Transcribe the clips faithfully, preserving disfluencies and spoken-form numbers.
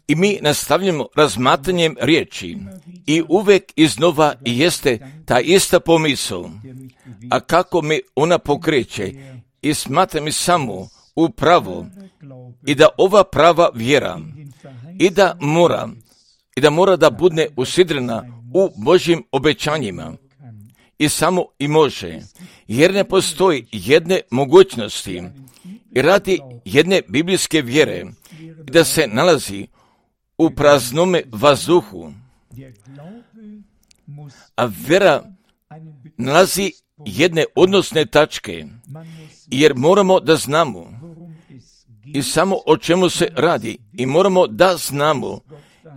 I mi nastavljamo razmatranjem riječi i uvijek iznova jeste ta ista pomisao, a kako me ona pokreće i smatra mi samo u pravo i da ova prava vjera i da mora i da mora da bude usidrena u Božjim obećanjima i samo i može, jer ne postoji jedne mogućnosti i radi jedne biblijske vjere da se nalazi u praznome vazduhu, a vjera nalazi jedne odnosne tačke, jer moramo da znamo i samo o čemu se radi i moramo da znamo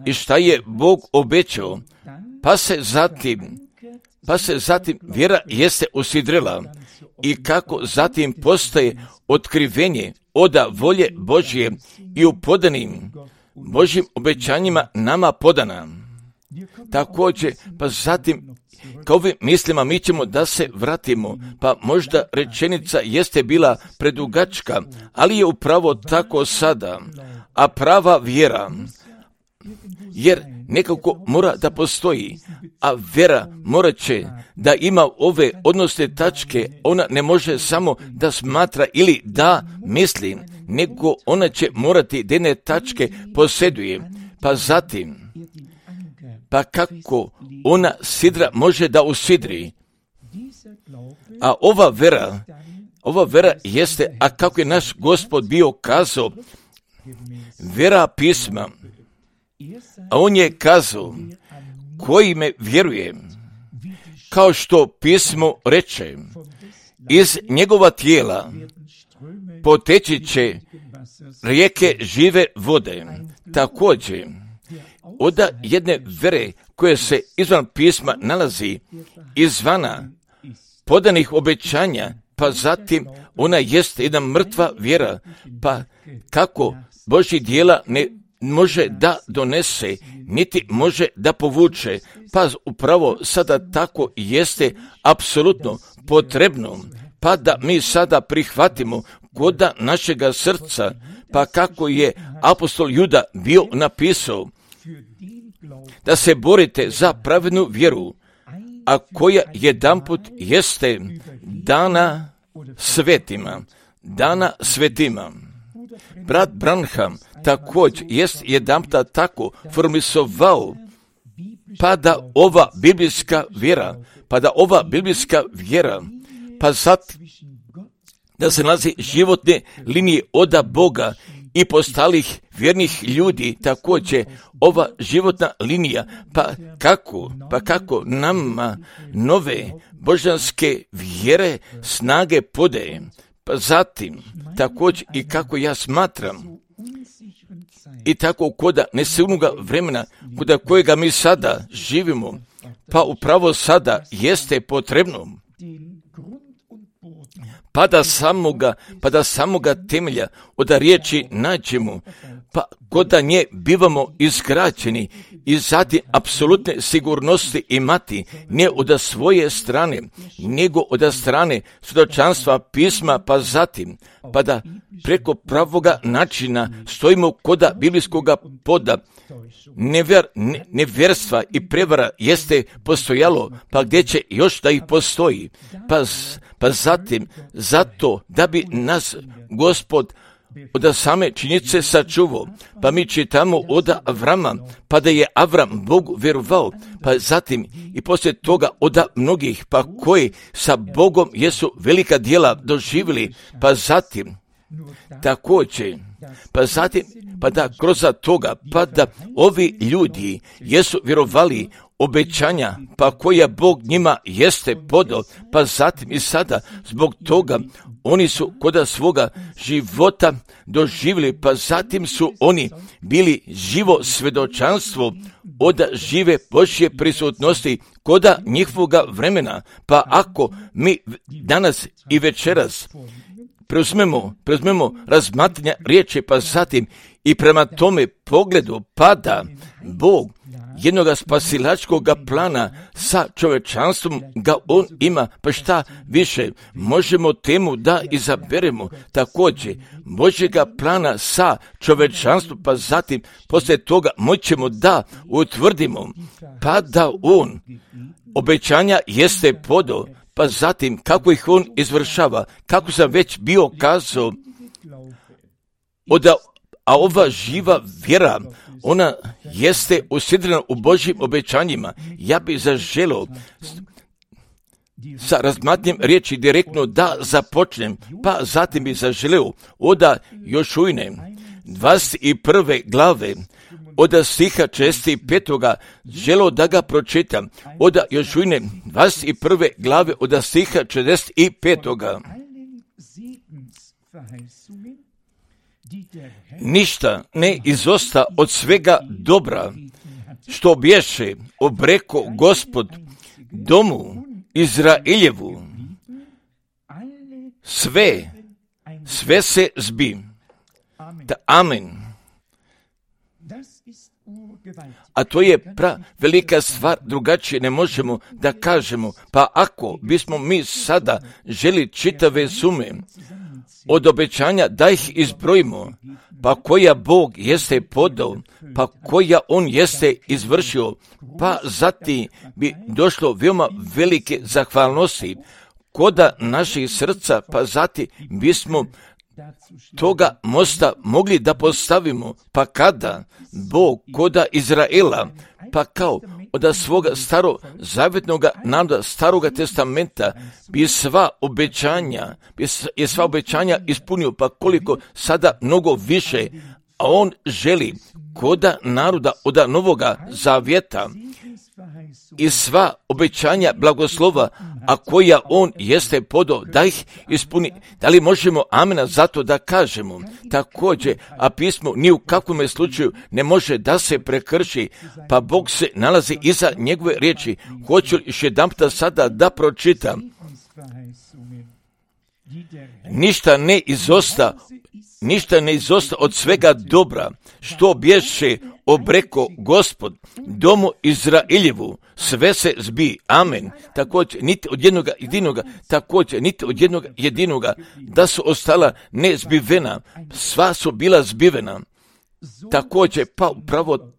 i šta je Bog obećao, pa se zatim pa se zatim vjera jeste usidrila i kako zatim postaje otkrivenje oda volje Božje i u podanim Božjim obećanjima nama podana. Također, pa zatim, kao ovim mislima mi ćemo da se vratimo, pa možda rečenica jeste bila predugačka, ali je upravo tako sada, a prava vjera, jer nekako mora da postoji, a vjera morat će da ima ove odnosne tačke, ona ne može samo da smatra ili da misli, nego ona će morati da jedne tačke posjeduje, pa zatim, pa kako ona sidra može da usidri, a ova vera, ova vera jeste, a kako je naš Gospod bio kazao, vera pisma, a on je kazao, koji me vjeruje, kao što pismo reče, iz njegova tijela poteći će rijeke žive vode. Također, od jedne vere koje se izvan pisma nalazi, izvana podanih obećanja, pa zatim ona jest jedna mrtva vjera, pa kako Božji djela ne može da donese, niti može da povuče, pa upravo sada tako jeste apsolutno potrebno, pa da mi sada prihvatimo koda našega srca, pa kako je apostol Juda bio napisao, da se borite za pravednu vjeru, a koja jedanput jeste dana svetima, dana svetima. Brat Branham također jest jedanputa tako formisovao, pa da ova biblijska vjera, pa da ova biblijska vjera, pa zat da se nalazi životne linije oda Boga i postalih vjernih ljudi, također ova životna linija, pa kako, pa kako nama nove božanske vjere snage podaje, pa zatim također i kako ja smatram i tako koda nesigurnoga vremena koda kojega mi sada živimo, pa upravo sada jeste potrebno pa da samoga, pa da samoga temelja od riječi nađemo, pa koda nje bivamo izgrađeni i zatim apsolutne sigurnosti imati, ne od svoje strane, nego od strane svjedočanstva pisma, pa zatim, pa da preko pravoga načina stojimo koda biblijskoga poda. Nevjer, ne, nevjerstva i prevara jeste postojalo, pa gdje će još da ih postoji, pa, pa zatim, zato da bi nas Gospod od same činjenice sačuvao, pa mi čitamo od Avrama, pa da je Avram Bogu vjerovao, pa zatim i poslije toga od mnogih, pa koji sa Bogom jesu velika djela doživjeli, pa zatim, također, pa zatim, pa da kroz toga, pa da ovi ljudi jesu vjerovali obećanja, pa koja Bog njima jeste podao, pa zatim i sada zbog toga oni su koda svoga života doživjeli, pa zatim su oni bili živo svjedočanstvo od žive Božje prisutnosti koda njihovoga vremena, pa ako mi danas i večeras preuzmemo, preuzmemo razmatranja riječi, pa zatim i prema tome pogledu pada Bog jednoga spasilačkog plana sa čovečanstvom ga on ima, pa šta više, možemo temu da izaberemo također Božjega plana sa čovečanstvom, pa zatim poslije toga moćemo da utvrdimo, pa da on obećanja jeste podao, pa zatim kako ih on izvršava, kako sam već bio kazao, oda, a ova živa vjera, ona jeste usidrena u Božjim obećanjima. Ja bih zaželio sa razmatnjem riječi direktno da započnem, pa zatim bih zaželio oda Jošujne dvadeset prve glave, oda stiha četrdeset petoga želo da ga pročitam, oda Jošujne dvadeset prve glave, oda stiha četrdeset petoga. Ništa ne izosta od svega dobra, što bješe obreko Gospod domu Izraeljevu. Sve, sve se zbi. Da, amen. A to je pra velika stvar, drugačije ne možemo da kažemo. Pa ako bismo mi sada želi čitave sume od obećanja da ih izbrojimo, pa koja Bog jeste podao, pa koja on jeste izvršio, pa zatim bi došlo veoma velike zahvalnosti koda naših srca, pa zatim bismo toga mosta mogli da postavimo, pa kada Bog koda Izraela, pa kao od svoga starozavjetnog naroda, staroga testamenta, bi sva obećanja, bi je sva obećanja ispunio, pa koliko sada mnogo više, a on želi koda naroda od novoga zavjeta i sva obećanja blagoslova, a koja on jeste podao da ih ispuni. Da li možemo amena zato da kažemo? Također, a pismo ni u kakvom slučaju ne može da se prekrši, pa Bog se nalazi iza njegove riječi. Hoću li još jedanputa sada da pročitam? Ništa ne izosta, ništa ne izosta od svega dobra, što bješe obreko Gospod domu Izraeljevu, sve se zbi. Amen. Također, niti od jednoga jedinoga, također, niti od jednoga jedinoga, da su ostala nezbivena, sva su bila zbivena. Također, pa upravo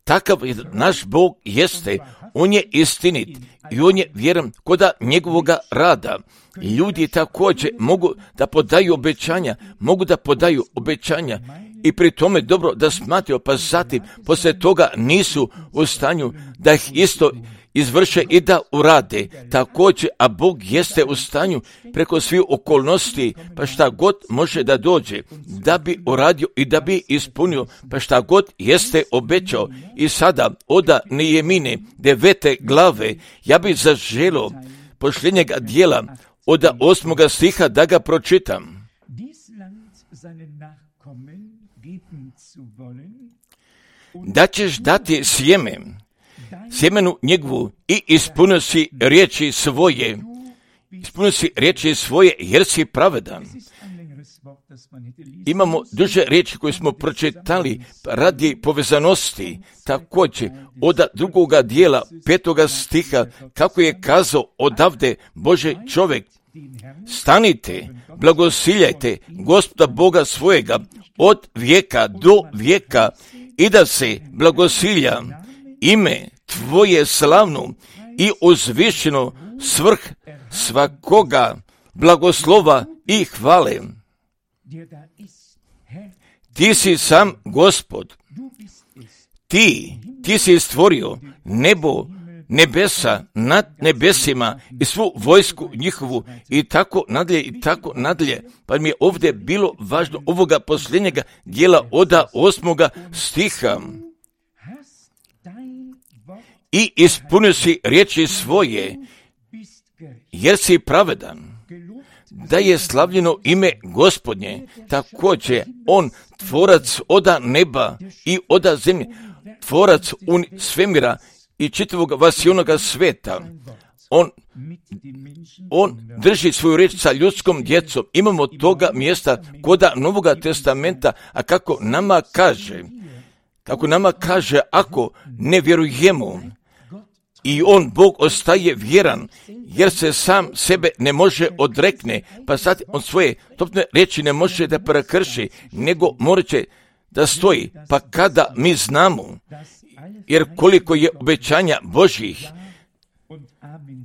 takav naš Bog jeste, on je istinit i on je vjeran koda njegovoga rada. Ljudi također mogu da podaju obećanja, mogu da podaju obećanja i pri tome dobro da smatraju, pa zatim poslije toga nisu u stanju da ih isto izvrše i da urade. Također, a Bog jeste u stanju preko svih okolnosti, pa šta god može da dođe, da bi uradio i da bi ispunio, pa šta god jeste obećao. I sada oda Nehemine devete glave, ja bih zaželio posljednjega dijela oda osmoga stiha da ga pročitam. Da ćeš dati sjeme, sjemenu njegovu i ispunio si riječi svoje, ispunio si riječi svoje jer si pravedan. Imamo duže riječi koje smo pročitali radi povezanosti, također od drugoga dijela petoga stiha, kako je kazao odavde Bože čovjek, stanite, blagosiljajte Gospoda Boga svojega od vijeka do vijeka i da se blagosilja ime tvoje slavno i uzvišeno svrh svakoga blagoslova i hvale. Ti si sam Gospod, ti, ti si stvorio nebo, nebesa nad nebesima i svu vojsku njihovu i tako nadalje i tako nadalje. Pa mi je ovdje bilo važno ovoga posljednjega dijela oda osmoga stiha. I ispunio si riječi svoje, jer si pravedan. Da je slavljeno ime Gospodnje, također on tvorac oda neba i oda zemlje, tvorac un svemira i čitavog vasionoga sveta. On, on drži svoju riječ sa ljudskom djecom. Imamo toga mjesta koda Novoga testamenta, a kako nama kaže, kako nama kaže, ako ne vjerujemo, i on, Bog, ostaje vjeran, jer se sam sebe ne može odrekne, pa sad on svoje topne riječi ne može da prekrši, nego morat će da stoji. Pa kada mi znamo, jer koliko je obećanja Božjih,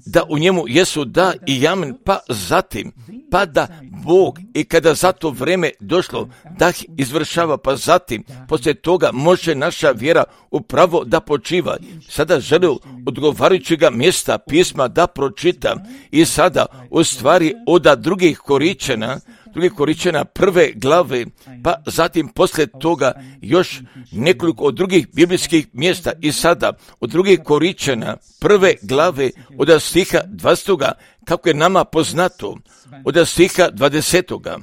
da u njemu jesu da i amen, pa zatim, pa da Bog, i kada za to vreme došlo, da ih izvršava, pa zatim, poslije toga može naša vjera upravo da počiva. Sada želim odgovarajućega mjesta pisma da pročita i sada u stvari od drugih Koričana, drugih Koričana prve glave, pa zatim poslije toga još nekoliko od drugih biblijskih mjesta i sada od drugih Koričana prve glave od stiha dvadesetoga, kako je nama poznato, od stiha dvadesetoga.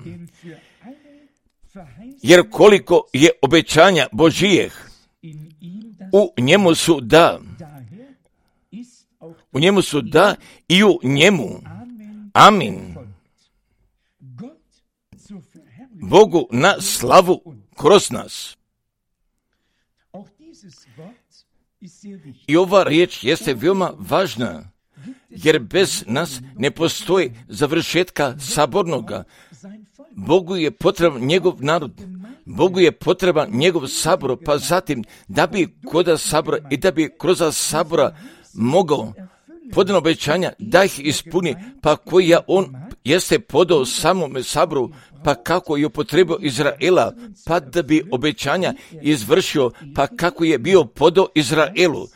Jer koliko je obećanja Božijeh, u njemu su da, u njemu su da i u njemu amin. Bogu na slavu kroz nas. I ova riječ jeste veoma važna, jer bez nas ne postoji završetka sabornoga. Bogu je potreban njegov narod, Bogu je potreban njegov sabor, pa zatim da bi kod sabora i da bi kroz sabora mogao podano obećanja da ih ispuni, pa koji on jeste podao samome saboru, pa kako je upotrebio Izraela, pa da bi obećanja izvršio, pa kako je bio podao Izraelu.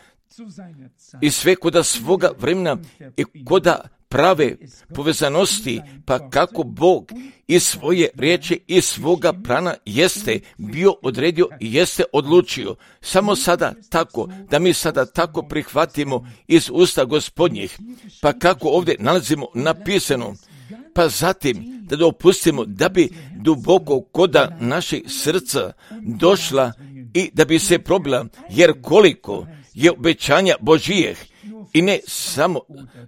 I sve koda svoga vremena i koda prave povezanosti, pa kako Bog i svoje riječi i svoga plana jeste bio odredio i jeste odlučio. Samo sada tako, da mi sada tako prihvatimo iz usta Gospodnjih, pa kako ovdje nalazimo napisano, pa zatim da dopustimo da bi duboko koda naših srca došla i da bi se probila, jer koliko je obećanja Božijeh, i ne samo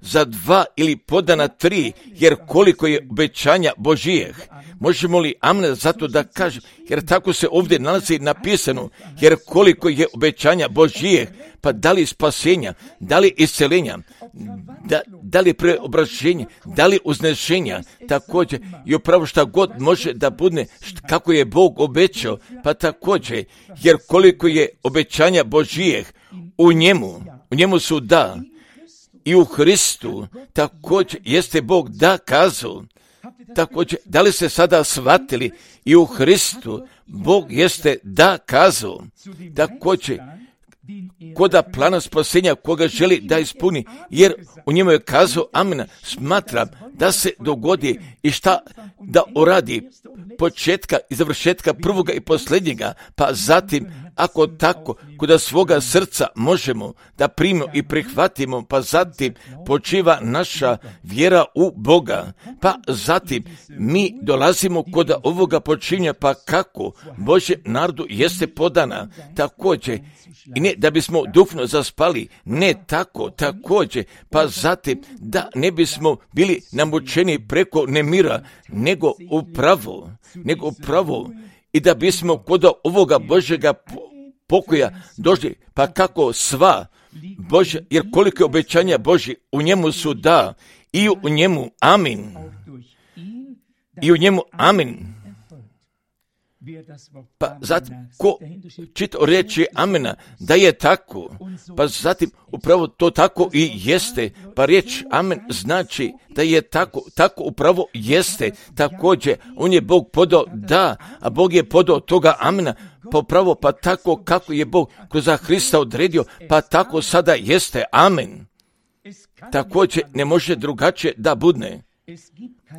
za dva ili podana tri, jer koliko je obećanja Božijeh. Možemo li amen zato da kažem, jer tako se ovdje nalazi napisano, jer koliko je obećanja Božijeh, pa da li spasenja, da li isceljenja, da, da li preobraženja, da li uznešenja, također i upravo šta god može da bude kako je Bog obećao, pa također, jer koliko je obećanja Božijeh, u njemu, u njemu su da, i u Hristu također jeste Bog da kazao. Također, da li ste sada shvatili, i u Hristu Bog jeste da kazao. Također, koda plana spasenja koga želi da ispuni, jer u njemu je kazao amen, smatram da se dogodi i šta da uradi početka i završetka prvoga i posljednjega, pa zatim ako tako koda svoga srca možemo da primimo i prihvatimo, pa zatim počiva naša vjera u Boga, pa zatim mi dolazimo koda ovoga počinja, pa kako Božjem narodu jeste podana također, i ne da bismo duhovno zaspali, ne tako, također, pa zatim da ne bismo bili namučeni preko nemira, nego upravo, nego upravo, i da bismo kod ovoga Božjega pokoja došli, pa kako sva Božja, jer koliko je obećanja Božji, u njemu su da, i u njemu amin, i u njemu amin. Pa zatim, ko čita o riječi amena, da je tako, pa zatim upravo to tako i jeste, pa riječ amen znači da je tako, tako upravo jeste, također, on je Bog podao da, a Bog je podao toga amena, pa upravo pa tako kako je Bog kroz Hrista odredio, pa tako sada jeste, amen. Također ne može drugačije da budne.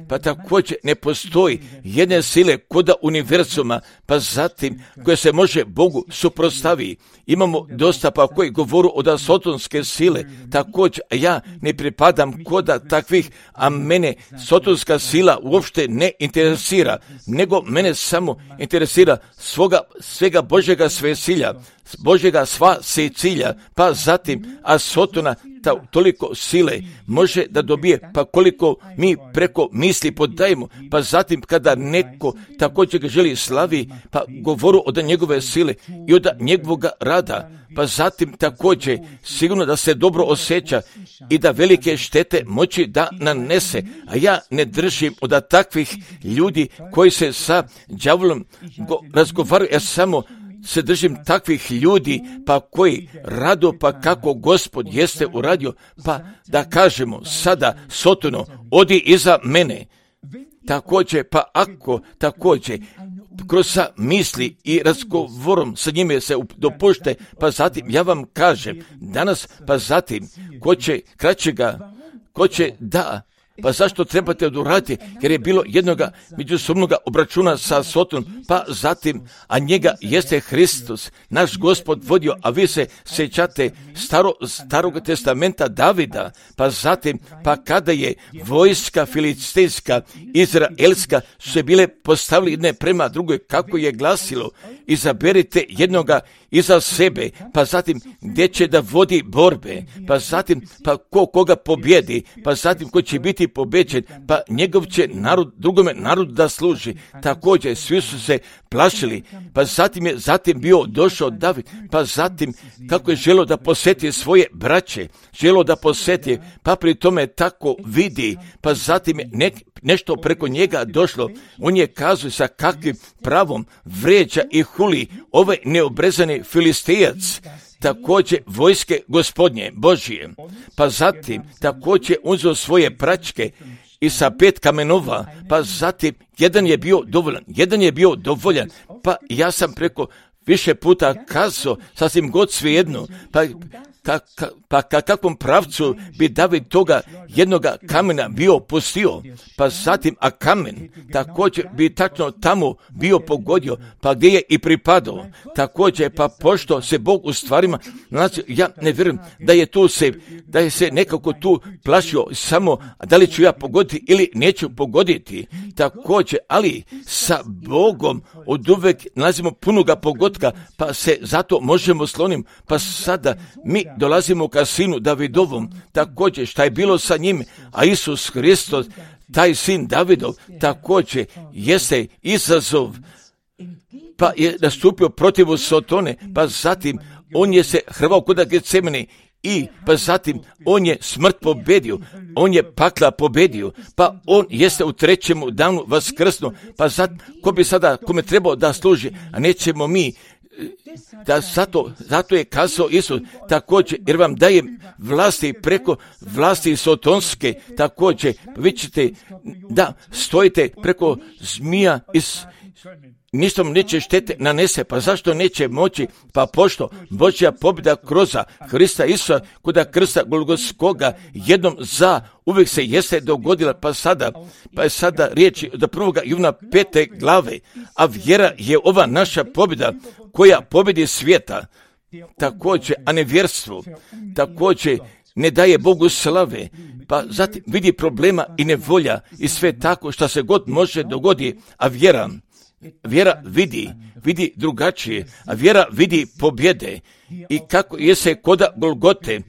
Pa također ne postoji jedne sile koda univerzuma, pa zatim koja se može Bogu suprotstavi. Imamo dosta pa koji govoru od sotonske sile, također ja ne pripadam koda takvih, a mene sotonska sila uopšte ne interesira, nego mene samo interesira svoga, svega Božjega svesilja, Božjega sva se cilja, pa zatim, a Sotona ta, toliko sile može da dobije, pa koliko mi preko misli podajemo, pa zatim kada neko također ga želi slavi, pa govoru od njegove sile i od njegovog rada, pa zatim također sigurno da se dobro osjeća i da velike štete moći da nanese. A ja ne držim od takvih ljudi koji se sa đavolom razgovaraju, ja samo se držim takvih ljudi, pa koji rado, pa kako Gospod jeste uradio, pa da kažemo sada Sotono, odi iza mene. Također, pa ako također kroz sa misli i razgovorom sa njime se dopušte, pa zatim ja vam kažem danas, pa zatim ko će kraćega, ko će da, pa zašto trebate oduraditi? Jer je bilo jednoga međusobnoga obračuna sa Sotonom, pa zatim, a njega jeste Hristos, naš Gospod vodio, a vi se sjećate staro, starog testamenta Davida, pa zatim, pa kada je vojska filistejska, izraelska, su se bile postavili jedne prema drugoj, kako je glasilo, izaberite jednoga iza sebe, pa zatim gdje će da vodi borbe, pa zatim pa ko koga pobjedi, pa zatim ko će biti pobeđen, pa njegov će narod, drugome narodu da služi. Također svi su se plašili, pa zatim je zatim bio došao David, pa zatim kako je želio da posjeti svoje braće, želio da posjeti, pa pri tome tako vidi, pa zatim je nek, nešto preko njega došlo, on je kazao sa kakvim pravom vređa i huli ovaj neobrezani Filistejac, također vojske Gospodnje Božije, pa zatim također uzeo svoje pračke i sa pet kamenova, pa zatim jedan je bio dovoljan, jedan je bio dovoljan, pa ja sam preko više puta kazao, sasvim god svejedno, pa Ka, ka, pa ka kakvom pravcu bi David toga jednoga kamena bio pustio, pa zatim, a kamen također bi tačno tamo bio pogodio, pa gdje je i pripadao. Također, pa pošto se Bog u stvarima, znači, ja ne vjerujem da je tu se, da je se nekako tu plašio samo da li ću ja pogoditi ili neću pogoditi. Također, ali sa Bogom od uvek nalazimo punoga pogotka, pa se zato možemo slonim, pa sada mi dolazimo ka sinu Davidovom, također šta je bilo sa njim, a Isus Hristos, taj sin Davidov, također jeste izazov, pa je nastupio protiv Sotone, pa zatim on je se hrvao kod Getsemane i pa zatim on je smrt pobedio, on je pakla pobedio, pa on jeste u trećemu danu vaskrsnuo, pa zatim, ko bi sada, kome trebao da služi, a nećemo mi, da zato, zato je kazao Isus također, jer vam dajem vlasti preko vlasti sotonske, također vi ćete da stojite preko zmija iz ništa mu neće štete nanese, pa zašto neće moći? Pa pošto Božja pobjeda kroz Hrista Isusa kod krsta Golgotskoga jednom za uvijek se jeste dogodila, pa sada, pa je sada riječi od prvoga Ivana pete glave, a vjera je ova naša pobjeda koja pobjedi svijeta, također, a nevjerstvo, također ne daje Bogu slave, pa zatim vidi problema i nevolja i sve tako što se god može dogodi, a vjera, vjera vidi, vidi drugačije, a vjera vidi pobjede. I kako je se koda Golgote,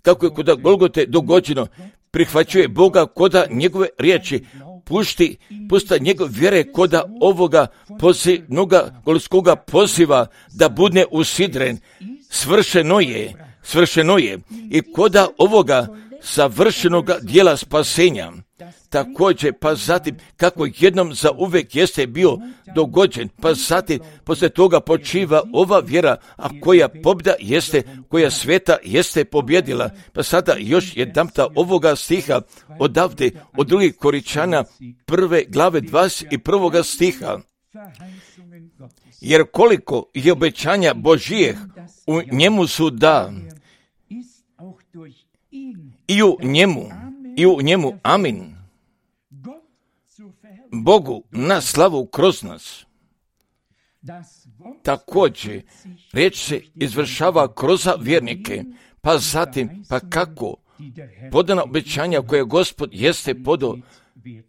kako je koda Golgote dogođeno, prihvaćuje Boga koda njegove riječi, pušti, pusta njegov vjere koda ovoga pozivnoga golskog poziva da budne usidren, svršeno je, svršeno je i koda ovoga savršenog dijela spasenja. Također, pa zatim, kako jednom za uvek jeste bio dogođen, pa zatim, poslije toga počiva ova vjera, a koja pobjeda jeste, koja sveta jeste pobjedila. Pa sada još jedanputa ovoga stiha odavde, od drugih Koričana, prve glave dvadeset prvoga stiha. Jer koliko je obećanja Božijeh, u njemu su da, i u njemu, i u njemu, amin. Bogu na slavu kroz nas. Također, riječ se izvršava kroz vjernike, pa zatim, pa kako podana obećanja koje Gospod jeste podao,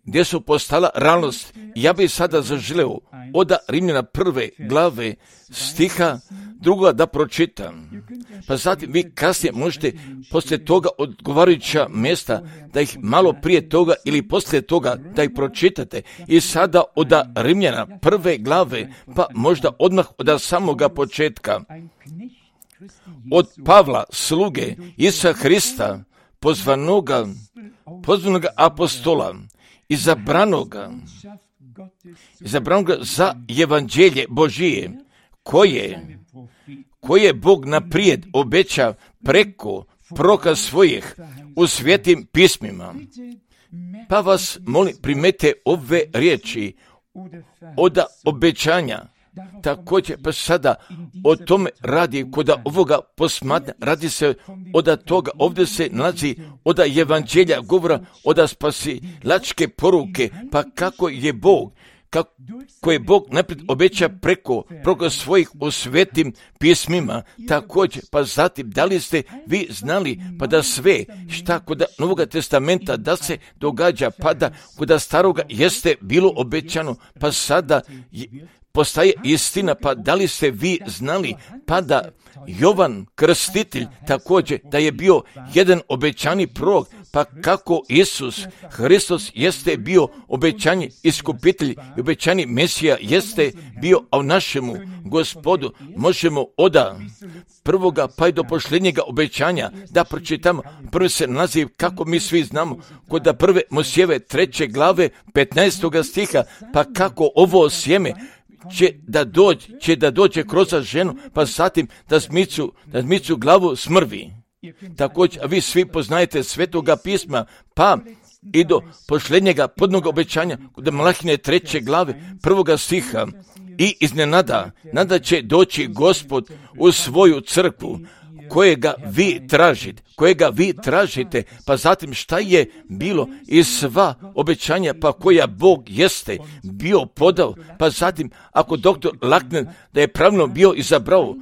gdje su postala realnost. Ja bih sada zaželeo od Rimljana prve glave stiha druga da pročitam. pa zatim vi kasnije možete poslije toga odgovarajuća mjesta da ih malo prije toga ili poslije toga da ih pročitate. I sada od Rimljana prve glave, pa možda odmah od samoga početka, od Pavla, sluge Isusa Hrista, pozvanoga, pozvanoga apostola, izabranoga, izabranoga za evanđelje Božije, koje, koje Bog naprijed obeća preko proroka svojih u svetim pismima. Pa vas molim, primete ove riječi od obećanja. Također, pa sada o tome radi, kod ovoga posmatra, radi se od toga, ovdje se nalazi od evanđelja govora, od spasilačke poruke, pa kako je Bog, kako je Bog naprijed obeća preko, preko svojih u svetim pismima. Također, pa zatim, da li ste vi znali, pa da sve šta kod Novoga testamenta da se događa, pa da kod staroga jeste bilo obećano, pa sada postaje istina, pa da li ste vi znali, pa da Jovan Krstitelj također da je bio jedan obećani prorok, pa kako Isus Hristos jeste bio obećani iskupitelj i obećani Mesija jeste bio, a u našemu Gospodu možemo od prvoga pa i do posljednjega obećanja da pročitamo. Prvi se naziv, kako mi svi znamo, kod prve Mojsijeve treće glave petnaestoga stiha, pa kako ovo sjeme će da dođe, će da dođe kroz ženu, pa zatim da zmicu, da zmicu glavu smrvi. Također, vi svi poznajete Svetoga pisma, pa i do posljednjega podnog obećanja, kod Malahine treće glave, prvoga stiha, i iznenada, nada će doći Gospod u svoju crkvu, kojega vi tražite, kojega vi tražite, pa zatim šta je bilo i sva obećanja, pa koja Bog jeste bio podao, pa zatim ako doktor Lackner da je pravilno bio izabrao,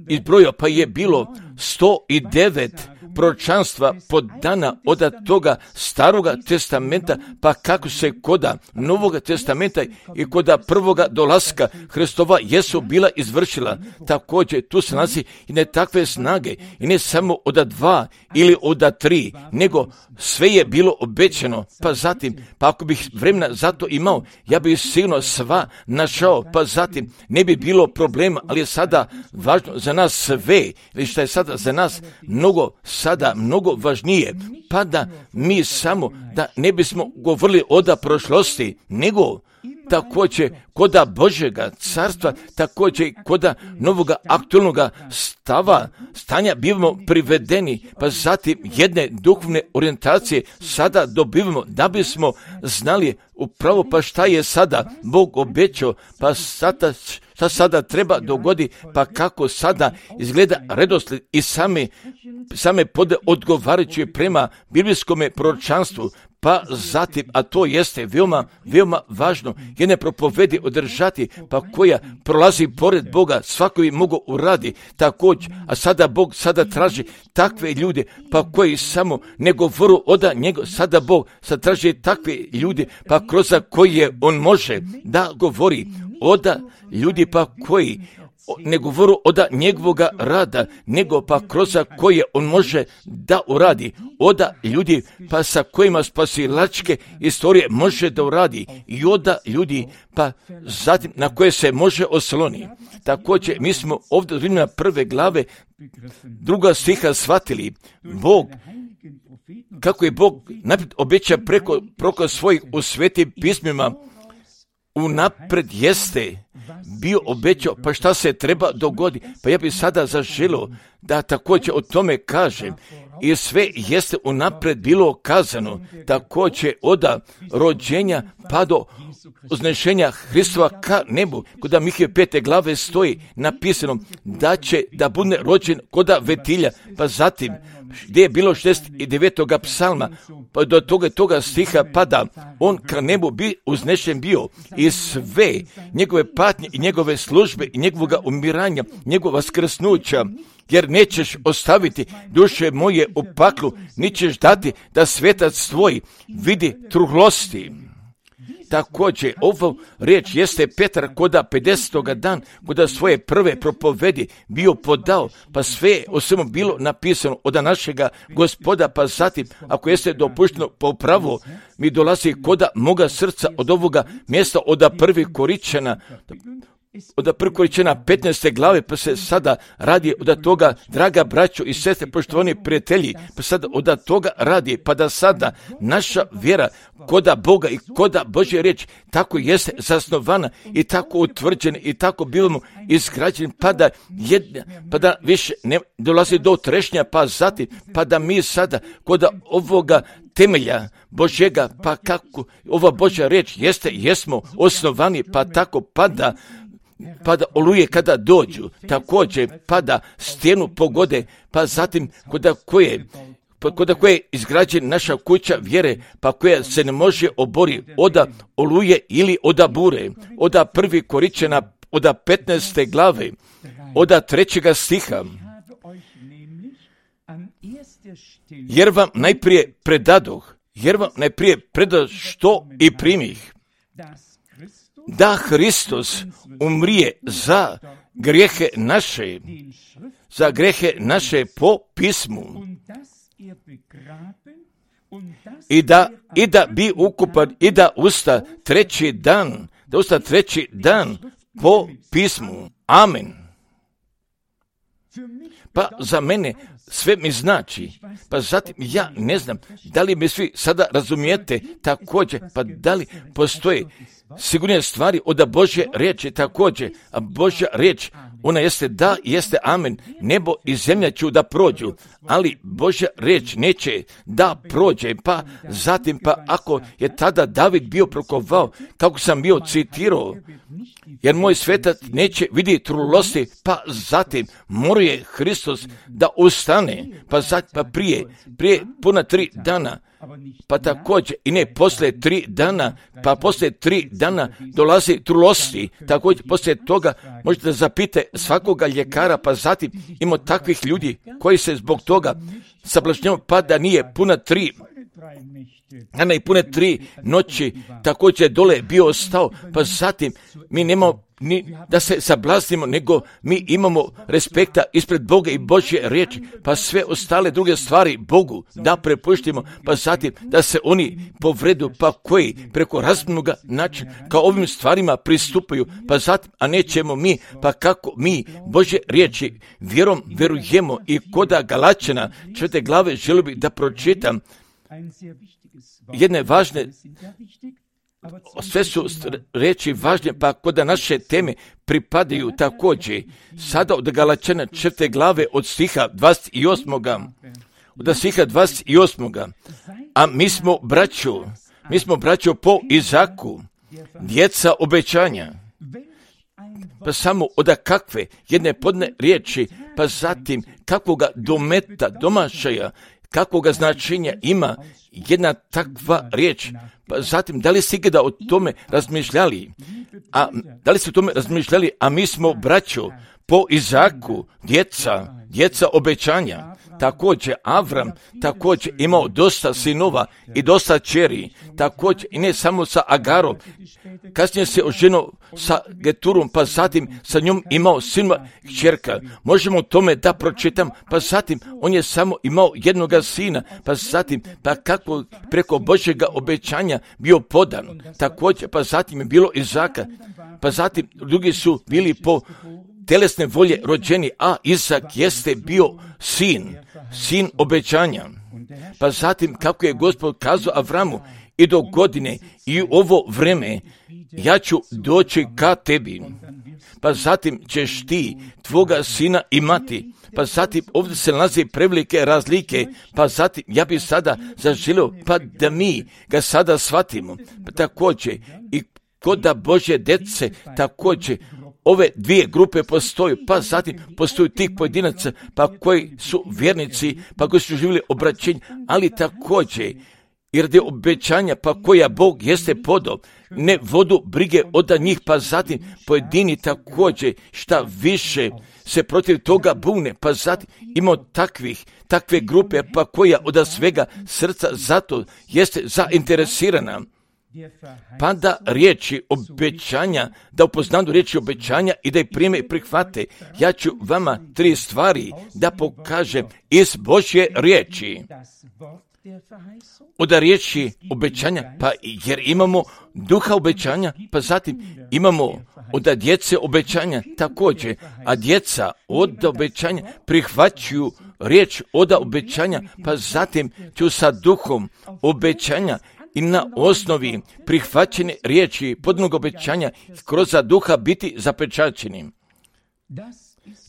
izbrojio, pa je bilo sto devet proročanstva podana od toga staroga testamenta, pa kako se koda Novoga testamenta i koda prvoga dolaska Hristova jesu bila izvršila. Također tu se nalazi i ne takve snage i ne samo od dva ili od tri, nego sve je bilo obećano. Pa zatim, pa ako bih vremena za to imao, ja bih sigurno sva našao, pa zatim ne bi bilo problema, ali je sada važno za nas sve, ili što je sada za nas mnogo sada mnogo važnije, pa da mi samo da ne bismo govorili od prošlosti, nego također koda Božjega carstva, također koda novoga aktualnoga stava, stanja bivamo privedeni, pa zatim jedne duhovne orijentacije sada dobivamo da bismo znali upravo pa šta je sada Bog obećao, pa sada šta sada treba dogodi, pa kako sada izgleda redoslijed i same, same pode odgovarajući prema biblijskome proročanstvu, pa zatim, a to jeste veoma, veoma važno, jedne propovedi održati, pa koja prolazi pored Boga, svako bi mogo uradi također, a sada Bog sada traži takve ljude, pa koji samo ne govoru oda njega, sada Bog sad traži takve ljude, pa kroz koje on može da govori, oda ljudi pa koji ne govoru oda njegovoga rada, nego pa kroz koje on može da uradi, oda ljudi pa sa kojima spasilačke istorije može da uradi i oda ljudi pa zatim na koje se može osloni. Također mi smo ovdje od Rimljana prve glave druga stiha shvatili Bog, kako je Bog naprijed obeća preko, preko svojih u svetim pismima, unapred jeste bio obećao, pa šta se treba dogodi. Pa ja bih sada zaželio da također o tome kažem, i sve jeste unapred bilo kazano, također od rođenja pa do uznešenja Hristova ka nebu, kod Mihije pete glave stoji napisano da će da bude rođen kod Vetilja, pa zatim gdje je bilo šezdeset devetog psalma, pa do toga, toga stiha pada, on ka nebu bi uznešen bio i sve njegove patnje i njegove službe i njegovoga umiranja, njegova vaskrsnuća, jer nećeš ostaviti duše moje u paklu, ni ćeš dati da svetac tvoj vidi truhlosti. također ovo riječ jeste Petar koda pedesetoga dan, koda svoje prve propovedi bio podao, pa sve o svemu bilo napisano od našega Gospoda, pa zatim, ako jeste dopušteno po pravu, mi dolazi koda moga srca od ovoga mjesta, od prvi Koričana, od prvi Koričana petnaeste glave, pa se sada radi od toga, draga braćo i sestre, poštovani prijatelji, pa sada od toga radi, pa da sada naša vjera koda Boga i koda Božja riječ tako jeste zasnovana i tako utvrđena i tako bivamo izgrađeni, pa da, jedna, pa da više ne dolazi do trešnja, pa zatim, pa da mi sada koda ovoga temelja Božjega, pa kako ova Božja riječ jeste, jesmo osnovani, pa tako pada, pada oluje kada dođu, također pada stijenu pogode, pa zatim koda koje kod koje je izgrađena naša kuća vjere, pa koja se ne može obori oda oluje ili oda bure, oda prvi Koričana, oda petnaeste glave, oda trećega stiha. Jer vam najprije predadoh, jer vam najprije predadoh što i primih, da Hristos umrije za grijehe naše, za grijehe naše po pismu, i da, i da bi ukupan, i da usta treći dan, da usta treći dan po pismu. Amen. Pa za mene sve mi znači, pa zatim ja ne znam da li mi svi sada razumijete također, pa da li postoje sigurnije stvari od Božje riječi također, a Božja riječ, ona jeste da, jeste amen, nebo i zemlja ću da prođu, ali Božja riječ neće da prođe, pa zatim, pa ako je tada David bio prokovao, kako sam bio citirao, jer moj svetac neće vidjeti trulosti, pa zatim moruje Hristos da ustane, pa, zatim, pa prije, prije puna tri dana, pa također i ne poslije tri dana, pa poslije tri dana dolazi trulosti, također poslije toga možete da zapite svakoga ljekara, pa zatim ima takvih ljudi koji se zbog toga sablažnjavaju, pa da nije puna tri dana i pune tri noći, također dole bio ostao, pa zatim mi nemamo ni da se sablaznimo, nego mi imamo respekta ispred Boga i Božje riječi, pa sve ostale druge stvari Bogu da prepuštimo, pa zatim da se oni povredu, pa koji preko razumnoga načina kao ovim stvarima pristupaju, pa zatim, a nećemo mi, pa kako mi Božje riječi vjerom verujemo. I koda Galačana četvrte glave želio bih da pročitam jedne važne, sve su reči važne, pa kod naše teme pripadaju također. Sada od Galačana četvrte glave od stiha dvadeset osam. Od stiha dvadeset osam. A mi smo braćo, mi smo braćo po Izaku, djeca obećanja. Pa samo od kakve jedne podne riječi, pa zatim kakvoga dometa, domašaja, kakvoga značenja ima jedna takva riječ. Pa zatim, da li ste ikada o tome razmišljali? A da li ste o tome razmišljali? A mi smo braćo po Izaku, djeca, djeca obećanja. Također Avram također imao dosta sinova i dosta čeri, također i ne samo sa Agarom, kasnije se oženio sa Geturom, pa zatim sa njom imao sinova kćerka. Možemo tome da pročitam, pa zatim on je samo imao jednoga sina, pa zatim, pa kako preko Božjega obećanja bio podan, također, pa zatim je bilo Izaka, pa zatim drugi su bili po telesne volje rođeni, a Izak jeste bio sin, sin obećanja. Pa zatim kako je Gospod kazao Avramu, i do godine i u ovo vreme ja ću doći ka tebi. Pa zatim ćeš ti tvoga sina imati. Pa zatim ovdje se nalazi prevelike razlike, pa zatim ja bih sada zaželio pa da mi ga sada shvatimo. Pa također i kod Božje djece također ove dvije grupe postoju, pa zatim postoju tih pojedinaca, pa koji su vjernici, pa koji su živjeli obraćenje, ali također i radi obećanja, pa koja Bog jeste podao, ne vodu brige od njih, pa zatim pojedini također šta više se protiv toga bune, pa zatim imamo takvih, takve grupe, pa koja od svega srca zato jeste zainteresirana pa da riječi obećanja, da upoznaju riječi obećanja i da ih prime i prihvate. Ja ću vama tri stvari da pokažem iz Božje riječi. Od riječi obećanja, pa jer imamo duha obećanja, pa zatim imamo od djece obećanja također, a djeca od obećanja prihvaćaju riječ od obećanja, pa zatim ću sa duhom obećanja i na osnovi prihvaćene riječi podnog obećanja kroz duha biti zapečaćenim.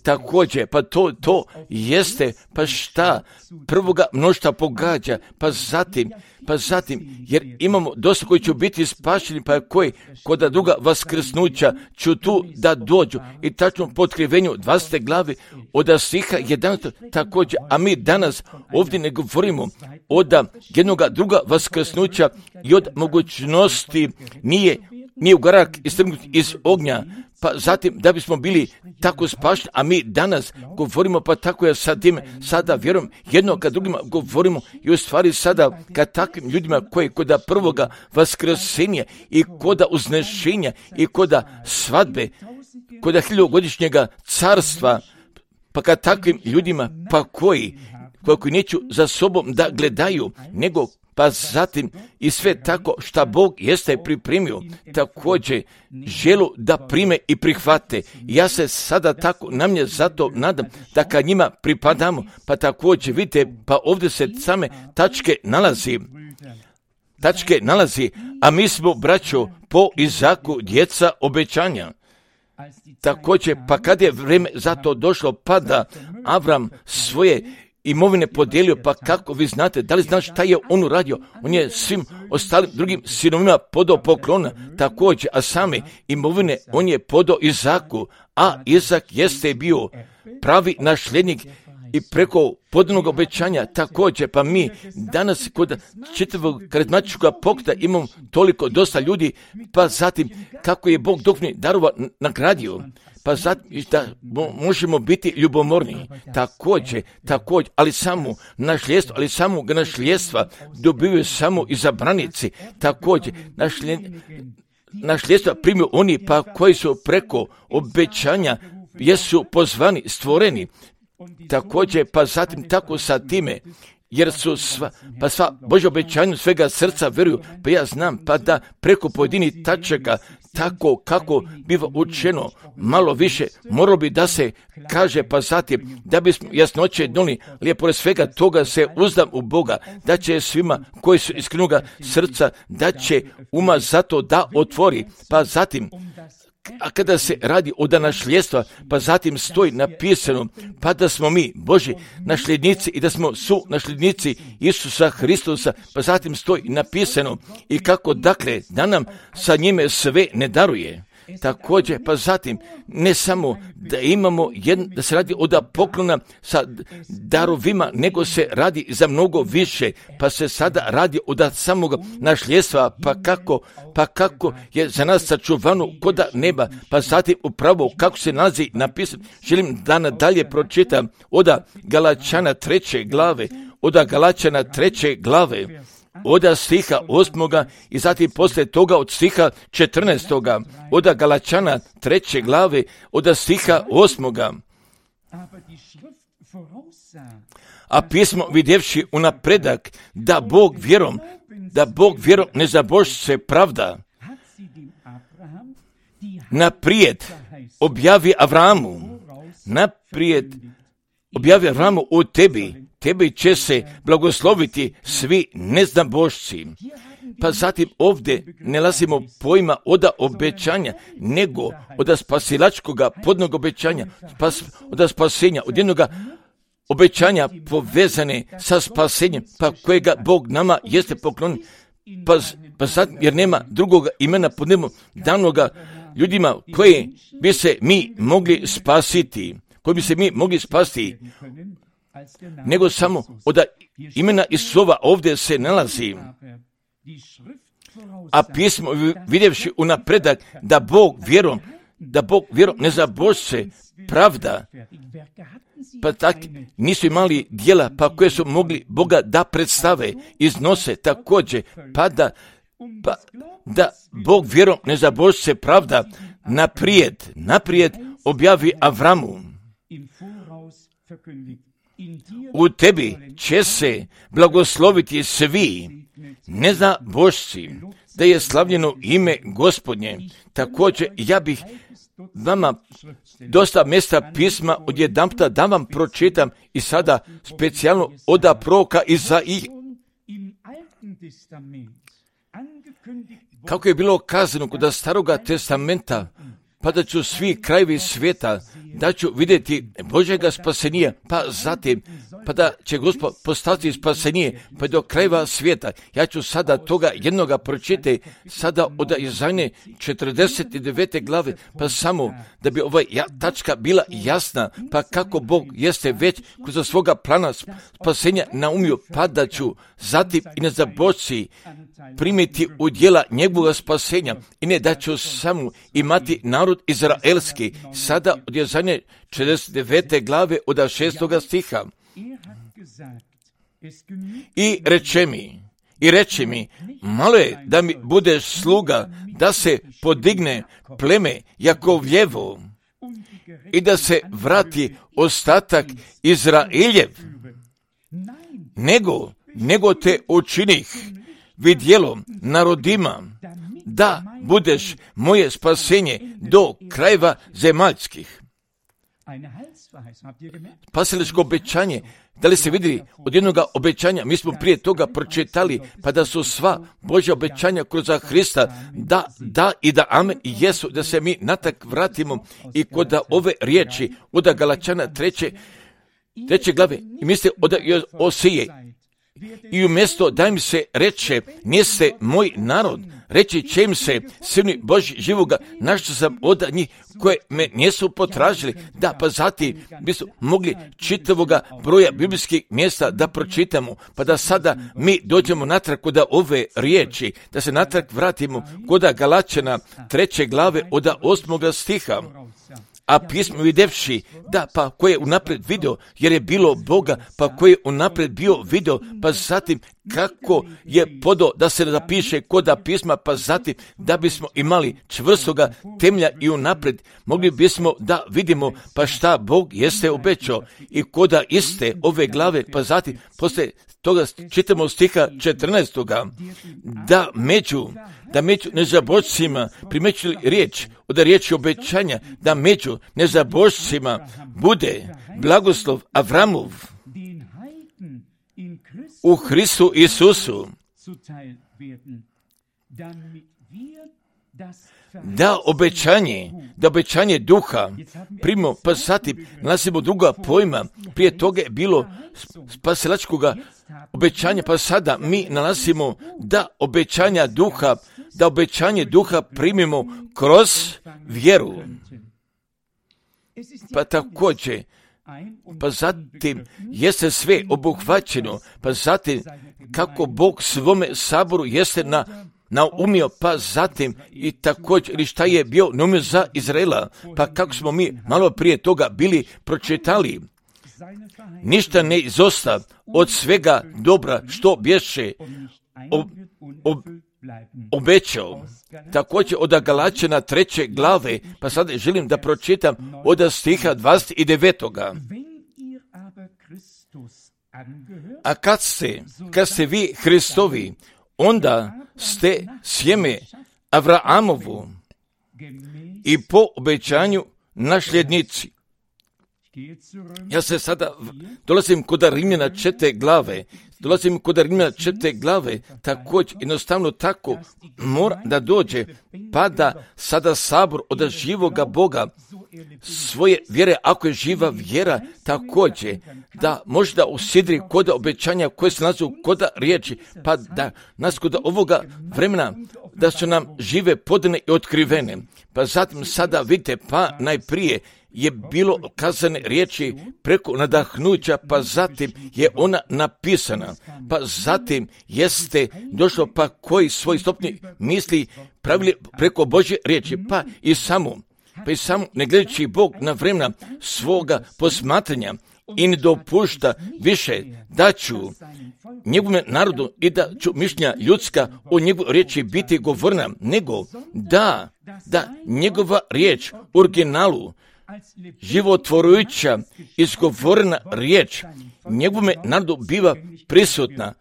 Također, pa to, to jeste, pa šta prvoga mnoštva pogađa, pa zatim, pa zatim, jer imamo dosta koji će biti spašeni, pa koji kod druga vaskrsnuća ću tu da dođu i tačno po otkrivenju dvadesete glave od stiha jedanaestog također, a mi danas ovdje ne govorimo od jednoga druga vaskrsnuća i od mogućnosti nije, nije ugarak istrgnut iz ognja, pa zatim da bismo bili tako spašeni, a mi danas govorimo, pa tako ja sa tim sada vjerujem jedno kad drugima govorimo i u stvari sada kad takvim ljudima koji koda prvoga vaskrsenja i koda uznešenja i koda svadbe, koda hiljogodišnjega carstva, pa kad takvim ljudima, pa koji, koji neću za sobom da gledaju, nego pa zatim i sve tako šta Bog jeste pripremio, također želu da prime i prihvate. Ja se sada tako na mnje zato nadam da kad njima pripadamo, pa također vidite, pa ovdje se same tačke nalazi, tačke nalazi, a mi smo, braćo, po Izaku djeca obećanja. Također, pa kad je vrijeme za to došlo, pa da Avram svoje imovine podijelio, pa kako vi znate, da li znaš šta je on uradio? On je svim ostalim drugim sinovima podao poklona također, a same imovine on je podao Izaku, a Izak jeste bio pravi nasljednik i preko podanog obećanja također, pa mi danas kod čitavog karizmatičkog pokreta imamo toliko dosta ljudi, pa zatim kako je Bog duhovnih darova nagradio, pa zatim da možemo biti ljubomorni, također, također, ali samo nasljedstvo, ali samo nasljedstva dobivaju samo izabranici, također, nasljedstva primaju oni pa koji su preko obećanja jesu pozvani, stvoreni, također, pa zatim tako sa time, jer su sva, pa sva Božja obećanja svega srca vjeruju, pa ja znam, pa da preko pojedinih tačaka, tako kako biva učeno, malo više, moralo bi da se kaže, pa zatim, da bismo jasnoće donijeli, ali pored svega toga se uzdam u Boga, da će svima koji su iskrenoga srca, da će uma zato da otvori, pa zatim, a kada se radi o nasljedstva, pa zatim stoji napisano, pa da smo mi Božji nasljednici i da smo su nasljednici Isusa Hristusa, pa zatim stoji napisano i kako dakle da nam sa njime sve ne daruje. Također, pa zatim, ne samo da imamo, jedno, da se radi od poklona sa darovima, nego se radi za mnogo više, pa se sada radi od samog nasljedstva, pa kako, pa kako je za nas sačuvano koda neba, pa zatim upravo kako se nalazi napisano. Želim da nadalje pročitam od Galačana treće glave, od Galačana treće glave, od stiha osmoga i zatim poslije toga od stiha četrnaestoga, od Galačana treće glave, od stiha osmoga. A pismo vidjevši unapredak da Bog vjerom, da Bog vjerom ne zabož se pravda, naprijed objavi Avramu, naprijed objavi Avramu u tebi, tebi će se blagosloviti svi neznabošci. Pa zatim ovdje ne lazimo pojma od obećanja, nego od spasilačkoga podnog obećanja, spas, od spasenja, od jednog obećanja povezane sa spasenjem, pa kojega Bog nama jeste poklonio, pa, pa zatim, jer nema drugog imena pod nebom danoga ljudima koje bi se mi mogli spasiti, koji bi se mi mogli spasiti, nego samo od imena Isova ovdje se nalazi. A pismo vidjevši unapredak da Bog vjerom, da Bog vjerom ne zabož se pravda, pa tak nisu imali djela pa koje su mogli Boga da predstave, iznose također, pa da pa da Bog vjerom nezabožce pravda naprijed, naprijed objavi Avramu. U tebi će se blagosloviti svi nezabožci, da je slavljeno ime Gospodnje. Također ja bih vama dosta mjesta pisma odjedanputa da vam pročitam i sada specijalno od proroka Izaije. Kako je bilo kazano kod Staroga testamenta, pa da ću svi krajevi svijeta, da ću vidjeti Božjega spasenija, pa zatim, pa da će Gospod postati spasenije, pa do krajeva svijeta. Ja ću sada toga jednoga pročitati, sada od Izaije četrdeset devete glave, pa samo da bi ova tačka bila jasna, pa kako Bog jeste već kroz svoga plana spasenja naumio, pa da ću zatim i nezabožci primiti u djela njegovog spasenja i ne da ću samo imati narod izraelski. Sada od Izaije četrdeset devete glave od šestoga stiha. I reče mi, i reče mi, malo je da mi budeš sluga, da se podigne pleme Jakovljevo i da se vrati ostatak Izraeljev, nego, nego te učinih vidjelom narodima, da budeš moje spasenje do krajeva zemaljskih. Spasiliško obećanje, da li se vidi od jednoga obećanja, mi smo prije toga pročitali, pa da su sva Božja obećanja kroz Hrista, da, da i da amen i jesu, da se mi natak vratimo i kod ove riječi od Galačana treće, treće glave, i misle od Osije. I umjesto da im se reče, niste moj narod, reći će im se, sini Božji živoga, našao sam od njih koje me nisu potražili. Da, pa zatim bismo mogli čitavoga broja biblijskih mjesta da pročitamo, pa da sada mi dođemo natrag kod ove riječi, da se natrag vratimo kod Galačana treće glave od osmoga stiha. A pismo videvši, da, pa ko je unaprijed vidio, jer je bilo Boga, pa ko je unaprijed bio vidio, pa zatim kako je podao da se zapiše koda pisma, pa zatim da bismo imali čvrstoga temelja i unaprijed, mogli bismo da vidimo pa šta Bog jeste obećao i koda iste ove glave, pa zatim posle toga čitamo stiha četrnaestoga da među, da među nezabožcima primećuli riječ, od riječi obećanja, da među nezabožcima bude blagoslov Avramov u Hristu Isusu, da obećanje, da obećanje duha primo, pa zatim nalazimo druga pojma, prije toga je bilo spasilačkoga obećanja, pa sada mi nalazimo da obećanja duha, da obećanje duha primimo kroz vjeru. Pa također, pa zatim jeste sve obuhvaćeno, pa zatim kako Bog svome saboru jeste na naumio, pa zatim i također ili šta je bio naumio za Izraela, pa kako smo mi malo prije toga bili pročitali, ništa ne izosta od svega dobra što bješe ob, ob, obećao. Također od Galačana treće glave, pa sad želim da pročitam od stiha dvadeset devetoga. A kad ste, kad ste vi Hristovi, onda ste sjeme Avraamovu i po obećanju nasljednici. Ja se sada dolazim kod Rimljana četvrte glave, dolazim kod Rimljana četvrte glave, također jednostavno tako mora da dođe, pa da sada sabor od živoga Boga svoje vjere, ako je živa vjera, također da možda usidri kod obećanja koje se nalazu kod riječi, pa da nas kod ovoga vremena da su nam žive podane i otkrivene. Pa zatim sada vidite, pa najprije je bilo kazane riječi preko nadahnuća, pa zatim je ona napisana, pa zatim jeste došlo pa koji svoj stopni misli pravili preko Božje riječi, pa i samo, pa i samo ne gledajući Bog na vremena svoga posmatranja, i ne dopušta više da ću njegovom narodu i da ću mišljenja ljudska o njegovoj riječi biti govorna, nego da, da njegova riječ u originalu, životvorujuća, izgovorena riječ, njegovome narodu biva prisutna,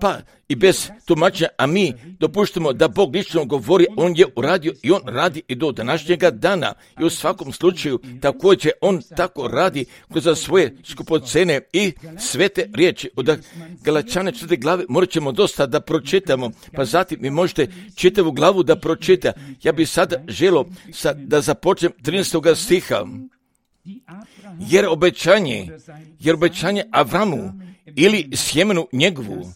pa i bez tumačenja, a mi dopuštamo da Bog lično govori, on je uradio i on radi i do današnjega dana. I u svakom slučaju također on tako radi kroz svoje skupocene i svete riječi. Od Galačane četvrte glave morat ćemo dosta da pročitamo, pa zatim vi možete čitavu glavu da pročita. Ja bih sada želio sad da započnem trinaestog stiha. Jer obećanje, jer obećanje Avramu ili sjemenu njegovu,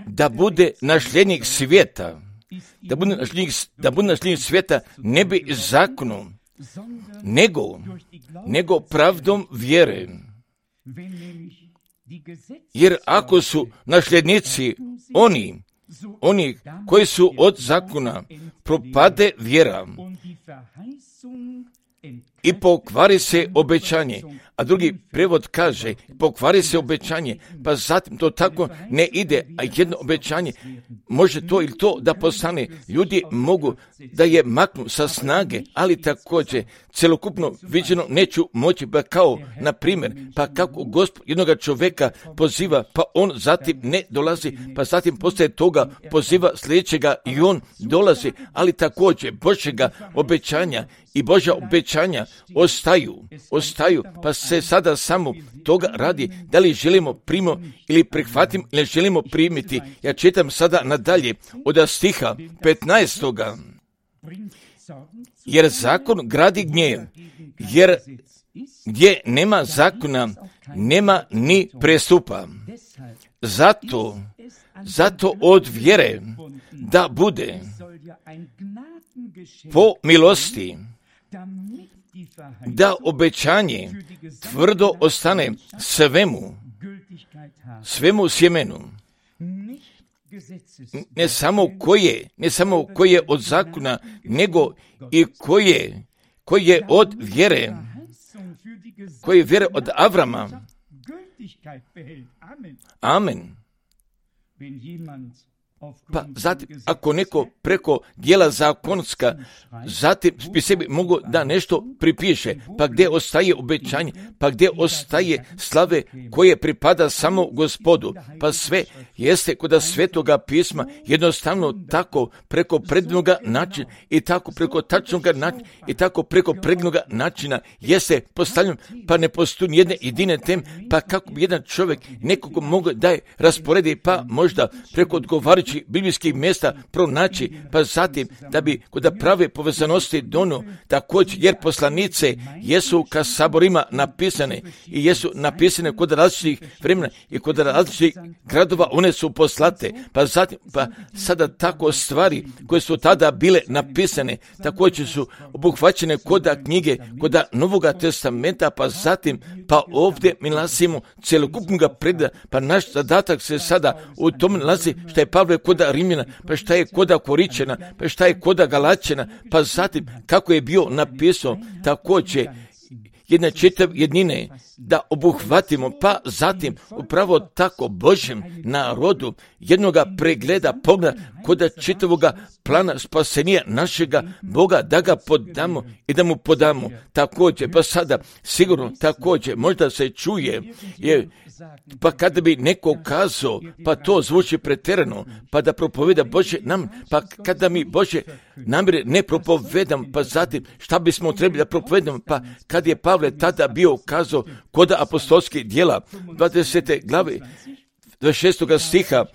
da bude nasljednik svijeta, da bude nasljednik, da bude nasljednik svijeta ne bi zakonom, nego, nego pravdom vjere. Jer ako su nasljednici oni, oni koji su od zakona, propade vjera i pokvari se obećanje. A drugi prevod kaže, pokvari se obećanje, pa zatim to tako ne ide, a jedno obećanje može to ili to da postane. Ljudi mogu da je maknu sa snage, ali također celokupno viđeno neću moći, pa kao, na primjer, pa kako Gospod jednoga čovjeka poziva, pa on zatim ne dolazi, pa zatim poslije toga poziva sljedećega i on dolazi, ali također Božjega obećanja i Božja obećanja ostaju, ostaju, pa se sada samo toga radi, da li želimo primimo ili prihvatimo ili želimo primiti. Ja čitam sada nadalje od stiha petnaestoga. Jer zakon gradi gnjev, jer gdje nema zakona, nema ni prestupa. Zato, zato od vjere da bude po milosti, da obećanje tvrdo ostane svemu, svemu sjemenu, ne samo koje, ne samo koje od zakona, nego i koje, koje od vjere, koje vjere od Avrama. Amen. Pa zatim, ako neko preko dijela zakonska, zatim bi sebi mogu da nešto pripiše, pa gdje ostaje obećanje, pa gdje ostaje slave koje pripada samo Gospodu, pa sve jeste kod Svetoga pisma jednostavno tako preko prednoga načina i tako preko tačnoga načina i tako preko prednoga načina jeste postavljeno, pa ne postoji nijedne jedine tem, pa kako bi jedan čovjek nekog mogu da je rasporedi, pa možda preko odgovarajućih biblijskih mjesta pronaći, pa zatim da bi kod prave povezanosti dono također, jer poslanice jesu ka saborima napisane i jesu napisane kod različitih vremena i kod različitih gradova, one su poslate, pa zatim, pa sada tako stvari koje su tada bile napisane, također su obuhvaćene kod knjige, kod Novoga testamenta, pa zatim, pa ovdje mi nalazimo celokupnoga preda, pa naš zadatak se sada u tom nalazi što je Pavle koda Rimljana, pa šta je koda Koričena, pa šta je koda Galačena, pa zatim kako je bio napisao također jedne čitav jednine da obuhvatimo, pa zatim upravo tako Božjem narodu jednoga pregleda, pogleda koda čitavoga plana spasenija našega Boga, da ga podamo i da mu podamo također. Pa sada sigurno također možda se čuje, je, pa kada bi neko kazao, pa to zvuči pretjerano, pa da propoveda Božje nam, pa kada mi Božje namjere ne propovedam, pa zatim šta bismo trebali da propovedamo, pa kad je Pavle tada bio kazao kod apostolskih djela dvadesete glave dvadeset šestog stiha,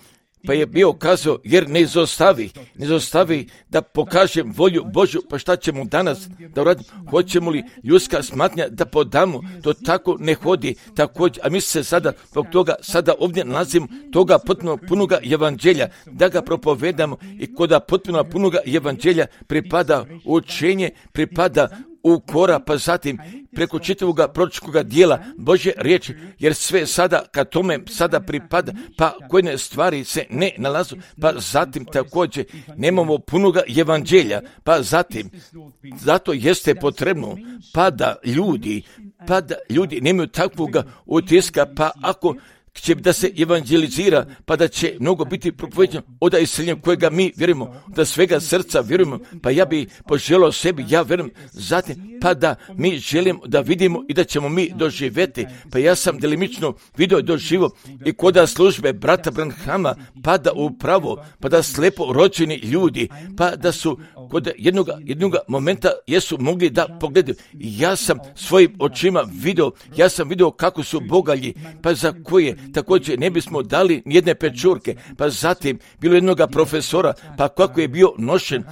pa je bio kazao, jer ne izostavi, ne izostavi da pokažem volju Božju, pa šta ćemo danas da uradimo? Hoćemo li ljudska smatnja da podamo? To tako ne hodi također, a mi se sada, zbog toga, sada ovdje nalazimo toga potpuno punoga evanđelja, da ga propovedamo i kod potpuno punoga evanđelja pripada učenje, pripada ukora, pa zatim preko čitavog proročkoga dijela Božje riječi, jer sve sada kad tome sada pripada, pa koje stvari se ne nalazu, pa zatim također nemamo punoga evanđelja, pa zatim zato jeste potrebno pa da ljudi, pa da ljudi nemaju takvoga utiska, pa ako će da se evanđelizira, pa da će mnogo biti propoveđeno od iseljenja kojega mi vjerujemo, da svega srca vjerujemo, pa ja bi poželio sebi, ja vjerujem, zatim, pa da mi želimo da vidimo i da ćemo mi doživjeti, pa ja sam delimično vidio i doživo i kod službe brata Branhama, pa da upravo, pa da slepo rođeni ljudi, pa da su kod jednog, jednog momenta jesu mogli da pogledaju. Ja sam svojim očima vidio, ja sam vidio kako su bogalji, pa za koje također ne bismo dali jedne pečurke, pa zatim bilo jednog profesora, pa kako je bio nošen,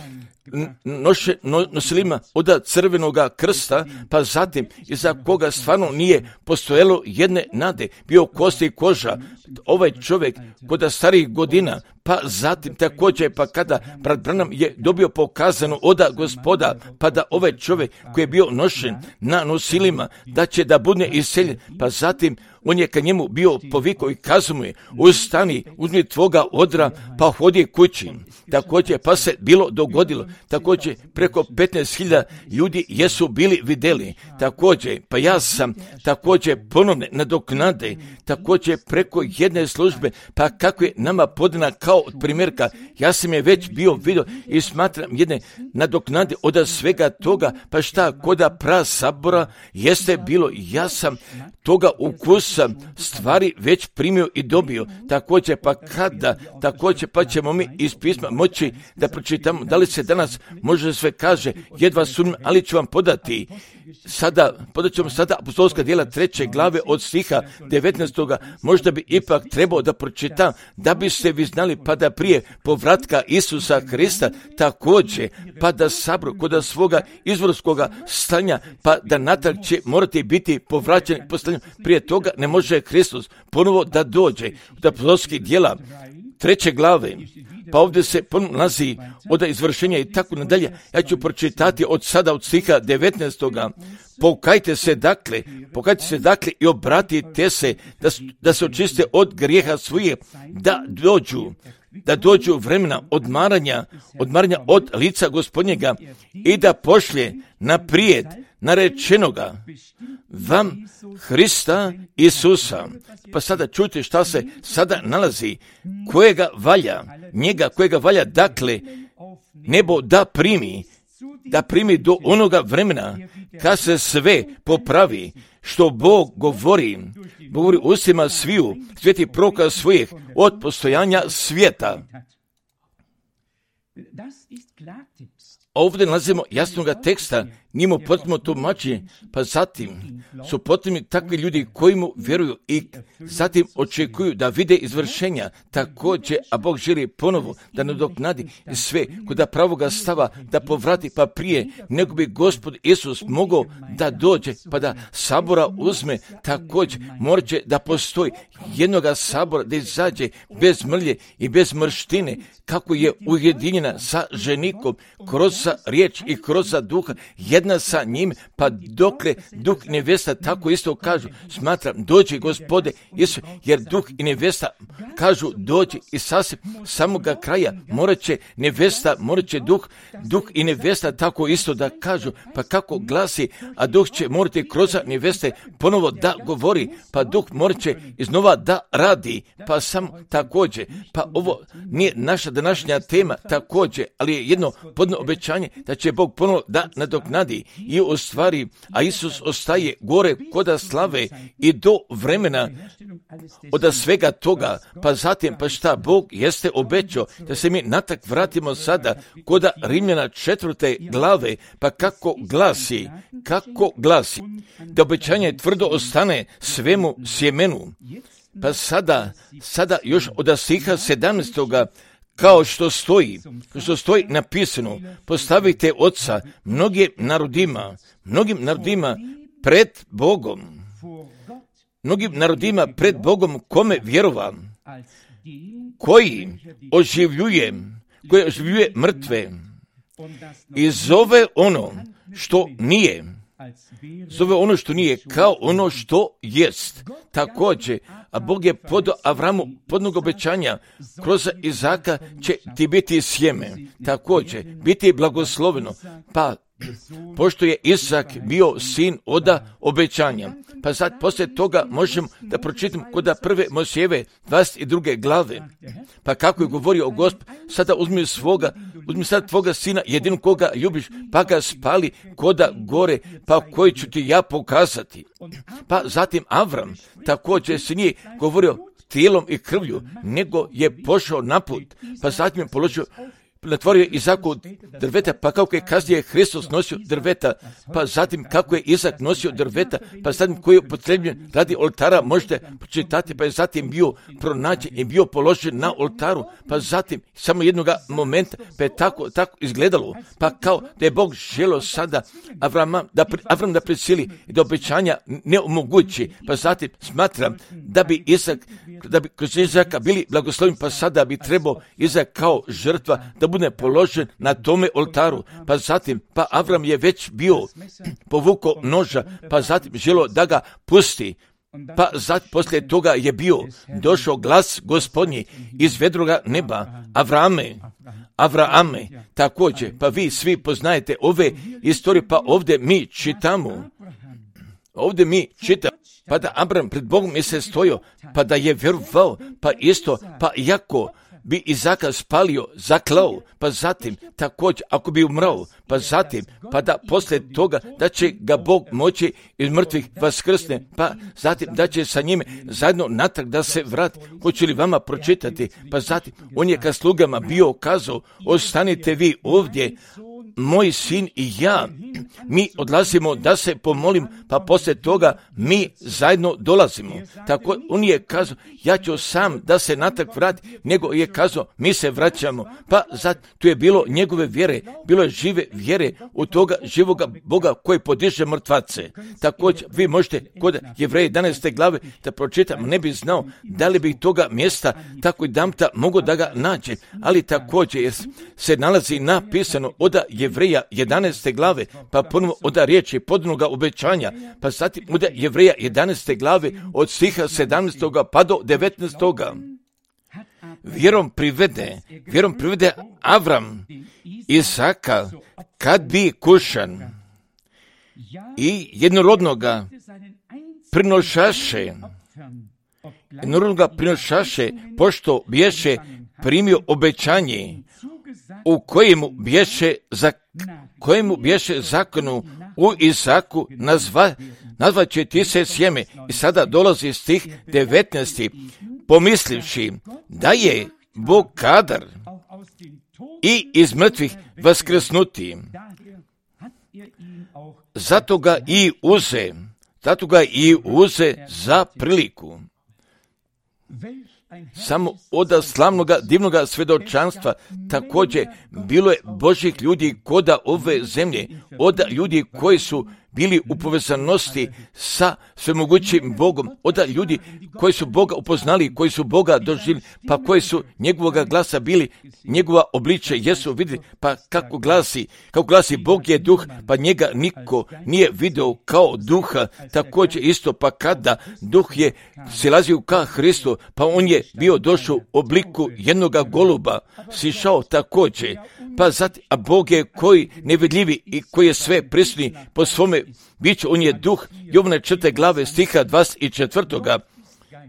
noše, no, nosilima od crvenoga krsta, pa zatim iza koga stvarno nije postojalo jedne nade, bio kosti i koža, ovaj čovjek kod starih godina, pa zatim također, pa kada brat Branham je dobio pokazano od Gospoda, pa da ovaj čovjek koji je bio nošen na nosilima, da će da bude iseljen, pa zatim on je ka njemu bio povikao i kazao mu je, ustani, uzmi tvoga odra, pa hodi kući. Također, pa se bilo dogodilo, također preko petnaest hiljada ljudi jesu bili vidjeli, također, pa ja sam također ponovne nadoknade, također preko jedne službe, pa kako je nama podana kao od primjerka, ja sam je već bio vidio i smatram jedne nadoknade od svega toga, pa šta koda pra sabora jeste bilo, ja sam toga ukusa stvari već primio i dobio, također pa kada, također pa ćemo mi iz pisma moći da pročitamo, da li se danas može sve kaže, jedva sumnjam, ali ću vam podati sada, podat ćemo sada apostolska djela treće glave od stiha devetnaestoga, možda bi ipak trebao da pročitam, da biste vi znali pa da prije povratka Isusa Krista također, pa da sabru kod svoga izvorskoga stanja, pa da natrag će morati biti povraćeni po stanju, prije toga ne može Hristos ponovo da dođe od apostolskih djela treće glave, pa ovdje se nalazi od izvršenja i tako nadalje. Ja ću pročitati od sada od stiha devetnaestoga. Pokajte se dakle, pokajte se dakle i obratite se da, da se očiste od grijeha svojih, da dođu, da dođu vremena odmaranja, odmaranja od lica Gospodnjega i da pošlje naprijed narečenoga vam Hrista Isusa. Pa sada čujte šta se sada nalazi, kojega valja, njega kojega valja, dakle, nebo da primi, da primi do onoga vremena kad se sve popravi, što Bog govori, govori ustima sviju, sveti proroka svojih od postojanja svijeta. Ovdje nalazimo jasnoga teksta, njimo potrebno tumačenje, pa zatim su potrebni takvi ljudi koji mu vjeruju i zatim očekuju da vide izvršenja, također, a Bog želi ponovo da nadoknadi sve kod pravoga stava, da povrati pa prije nego bi Gospod Isus mogao da dođe, pa da sabora uzme, također moraće da postoji jednoga sabora da izađe bez mrlje i bez mrštine, kako je ujedinjena sa ženikom, kroz riječ i kroz duha, jedna sa njim, pa dokle duh i nevesta tako isto kažu, smatram, dođi Gospode Isus, jer duh i nevesta kažu dođi i sasvim samoga kraja, morat će nevesta, morat će duh, duh i nevesta tako isto da kažu, pa kako glasi, a duh će morati kroz neveste ponovo da govori, pa duh morat će iznova da radi, pa sam također, pa ovo nije naša današnja tema također, ali je jedno podno obećanje da će Bog ponovo da nadoknadi i u stvari, a Isus ostaje gore koda slave i do vremena od svega toga, pa zatim, pa šta Bog jeste obećao da se mi natak vratimo sada koda Rimljana četvrte glave, pa kako glasi, kako glasi, da obećanje tvrdo ostane svemu sjemenu, pa sada, sada još od stiha sedamnaestoga, kao što stoji, kao što stoji napisano, postavite oca mnogim narodima, mnogim narodima pred Bogom, mnogim narodima pred Bogom kome vjerova, koji oživljuje, koji oživljuje mrtve i zove ono što nije. Zove ono što nije kao ono što jest. Također, a Bog je podao Avramu podnog obećanja, kroz Izaka će ti biti sjeme. Također, biti blagosloveno. Pa, pošto je Isak bio sin oda obećanja. Pa sad, poslije toga možemo da pročitam kod prve Mojsijeve dvadeset druge glave. Pa kako je govorio o Gospod, sada uzmi svoga, uzmi sad tvoga sina, jedinu koga ljubiš, pa ga spali koda gore, pa koji ću ti ja pokazati. Pa zatim Avram također se nije govorio tijelom i krvlju, nego je pošao na put, pa zatim je položio, natvorio Izaku drveta, pa kako je kasnije Hristos nosio drveta, pa zatim kako je Izak nosio drveta, pa zatim koji je upotrebljen radi oltara, možete počitati, pa je zatim bio pronađen i bio položen na oltaru, pa zatim samo jednog momenta, pa je tako, tako izgledalo, pa kao da je Bog želio sada Avrama, da, Avram da prisili i da obećanja ne omogući, pa zatim smatram da bi Izak, da bi kroz Izaka bili blagosloveni, pa sada bi trebao Izak kao žrtva da bude položen na tome oltaru, pa zatim, pa Avram je već bio povukao noža, pa zatim želio da ga pusti, pa zatim poslije toga je bio došao glas Gospodnji iz vedroga neba, Avrame, Avrame, također, pa vi svi poznajete ove istorije, pa ovdje mi čitamo, ovdje mi čitamo, pa da Abram pred Bogom je se stojio, pa da je vjerovao, pa isto, pa jako bi Izaka spalio, zaklao, pa zatim također ako bi umrao, pa zatim, pa da poslije toga da će ga Bog moći iz mrtvih vaskrsne, pa zatim da će sa njime zajedno natrag da se vrati. Hoću li vama pročitati? Pa zatim on je ka slugama bio kazao, ostanite vi ovdje, moj sin i ja, mi odlazimo da se pomolim, pa poslije toga mi zajedno dolazimo. Tako on je kazao, ja ću sam da se natrag vrati, nego je kazao, mi se vraćamo. Pa zat, tu je bilo njegove vjere, bilo je žive vjere u toga živoga Boga koji podiže mrtvace. Također, vi možete kod Jevreja jedanaeste glave da pročitam, ne bi znao da li bi toga mjesta tako i damta mogo da ga nađe, ali također jer se nalazi napisano od Jevreja jedanaeste glave, pa ponovo od riječi podnoga obećanja, pa zatim od Jevreja jedanaeste glave od stiha sedamnaestog pa do devetnaestog Vjerom privede, vjerom privede Avram Isaka kad bi kušan i jednorodnoga prinošaše, jednorodnoga prinošaše, pošto bješe primio obećanje u kojemu bješe, za, kojemu bješe zakonu u Isaku nazva, nazvat će ti se sjeme. I sada dolazi stih devetnaesti pomislivši da je Bog kadar i iz mrtvih vaskrsnuti. Zato ga i uze, zato ga i uze za priliku. Samo od slavnoga divnoga svjedočanstva također bilo je Božih ljudi koda ove zemlje, od ljudi koji su bili u povezanosti sa svemogućim Bogom, od ljudi koji su Boga upoznali, koji su Boga doživjeli, pa koji su njegovoga glasa bili, njegova obliče jesu vidjeli, pa kako glasi, kako glasi Bog je duh, pa njega niko nije video kao duha, također isto, pa kada duh je silazio ka Hristu, pa on je bio došao u obliku jednoga goluba, sišao također, pa zatim, a Bog je koji nevidljivi i koji je sve prisutni po svome biću, on je duh, Jovane četvrte glave stiha dvadeset četvrtoga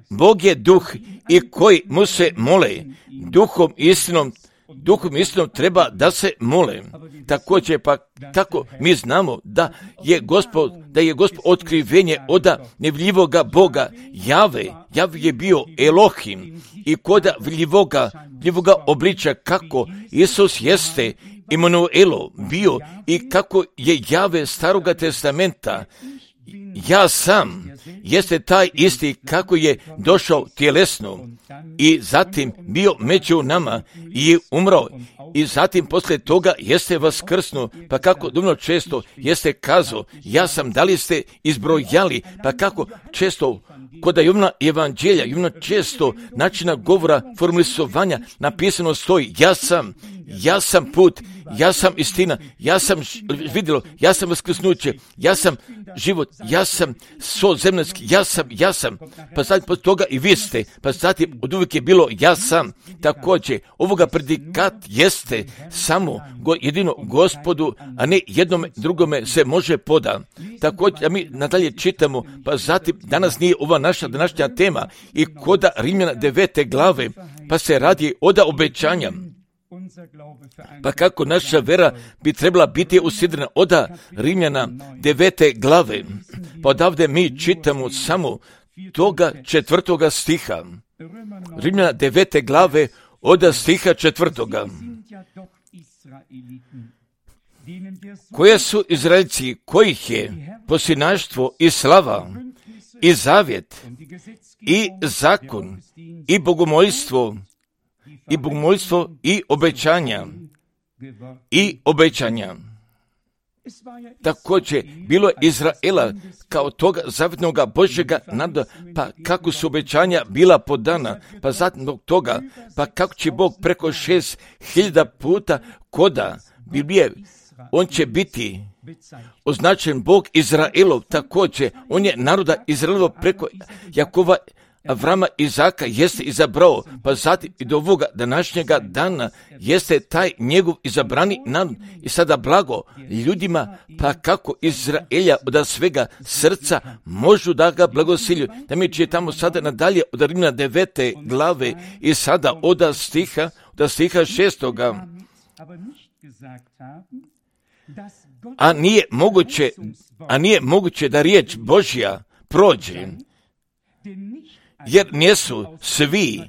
Bog je duh i koji mu se mole, duhom istinom, duhom istinom treba da se mole. Također, pa kako mi znamo da je Gospod, da je Gospod otkrivenje od nevidljivoga Boga, Jave, Jave je bio Elohim i koda vidljivoga, vidljivoga obliča kako Isus jeste Emanuelo bio i kako je Jave Staroga testamenta, ja sam, jeste taj isti kako je došao tjelesno i zatim bio među nama i umro i zatim poslije toga jeste vaskrsnuo, pa kako dovoljno često jeste kazao, ja sam, da li ste izbrojali, pa kako često kod Jovana evanđelja, Jovana često načina govora, formulisovanja napisano stoji, ja sam, ja sam put, ja sam istina, ja sam vidjelo, ja sam vaskrsnuće, ja sam život, ja sam so zemljanski, ja sam, ja sam. Pa zatim pod toga i vi ste, pa zatim od uvijek je bilo ja sam. Također, ovoga predikat jeste samo go, jedino Gospodu, a ne jednome drugome se može poda. Također, a mi nadalje čitamo, pa zatim danas nije ova naša današnja tema i koda Rimljana devete glave, pa se radi oda obećanja. Pa kako naša vera bi trebala biti usidrena oda Rimljana devete glave. Pa odavde mi čitamo samo toga četvrtoga stiha. Rimljana devete glave oda stiha četvrtoga. Koje su Izraelci, kojih je posinaštvo i slava i zavjet i zakon i bogomolstvo i bogomolstvo i obećanja i obećanja. Također, bilo je Izraela kao toga zavjetnoga Božjega nada, pa kako su obećanja bila podana, pa zatim toga, pa kako će Bog preko šest hiljada puta koda Biblije, on će biti označen Bog Izraelov, također, on je naroda Izraelova preko Jakova, Avrama, Izaka jeste izabrao, pa zatim i do ovoga današnjega dana jeste taj njegov izabrani narod i sada blago ljudima, pa kako Izraelja od svega srca možu da ga blagosilju. Da mi čitamo sada nadalje od Rimljana devete glave i sada od stiha, od stiha šestoga. A nije moguće, a nije moguće da riječ Božja prođe, jer nisu svi,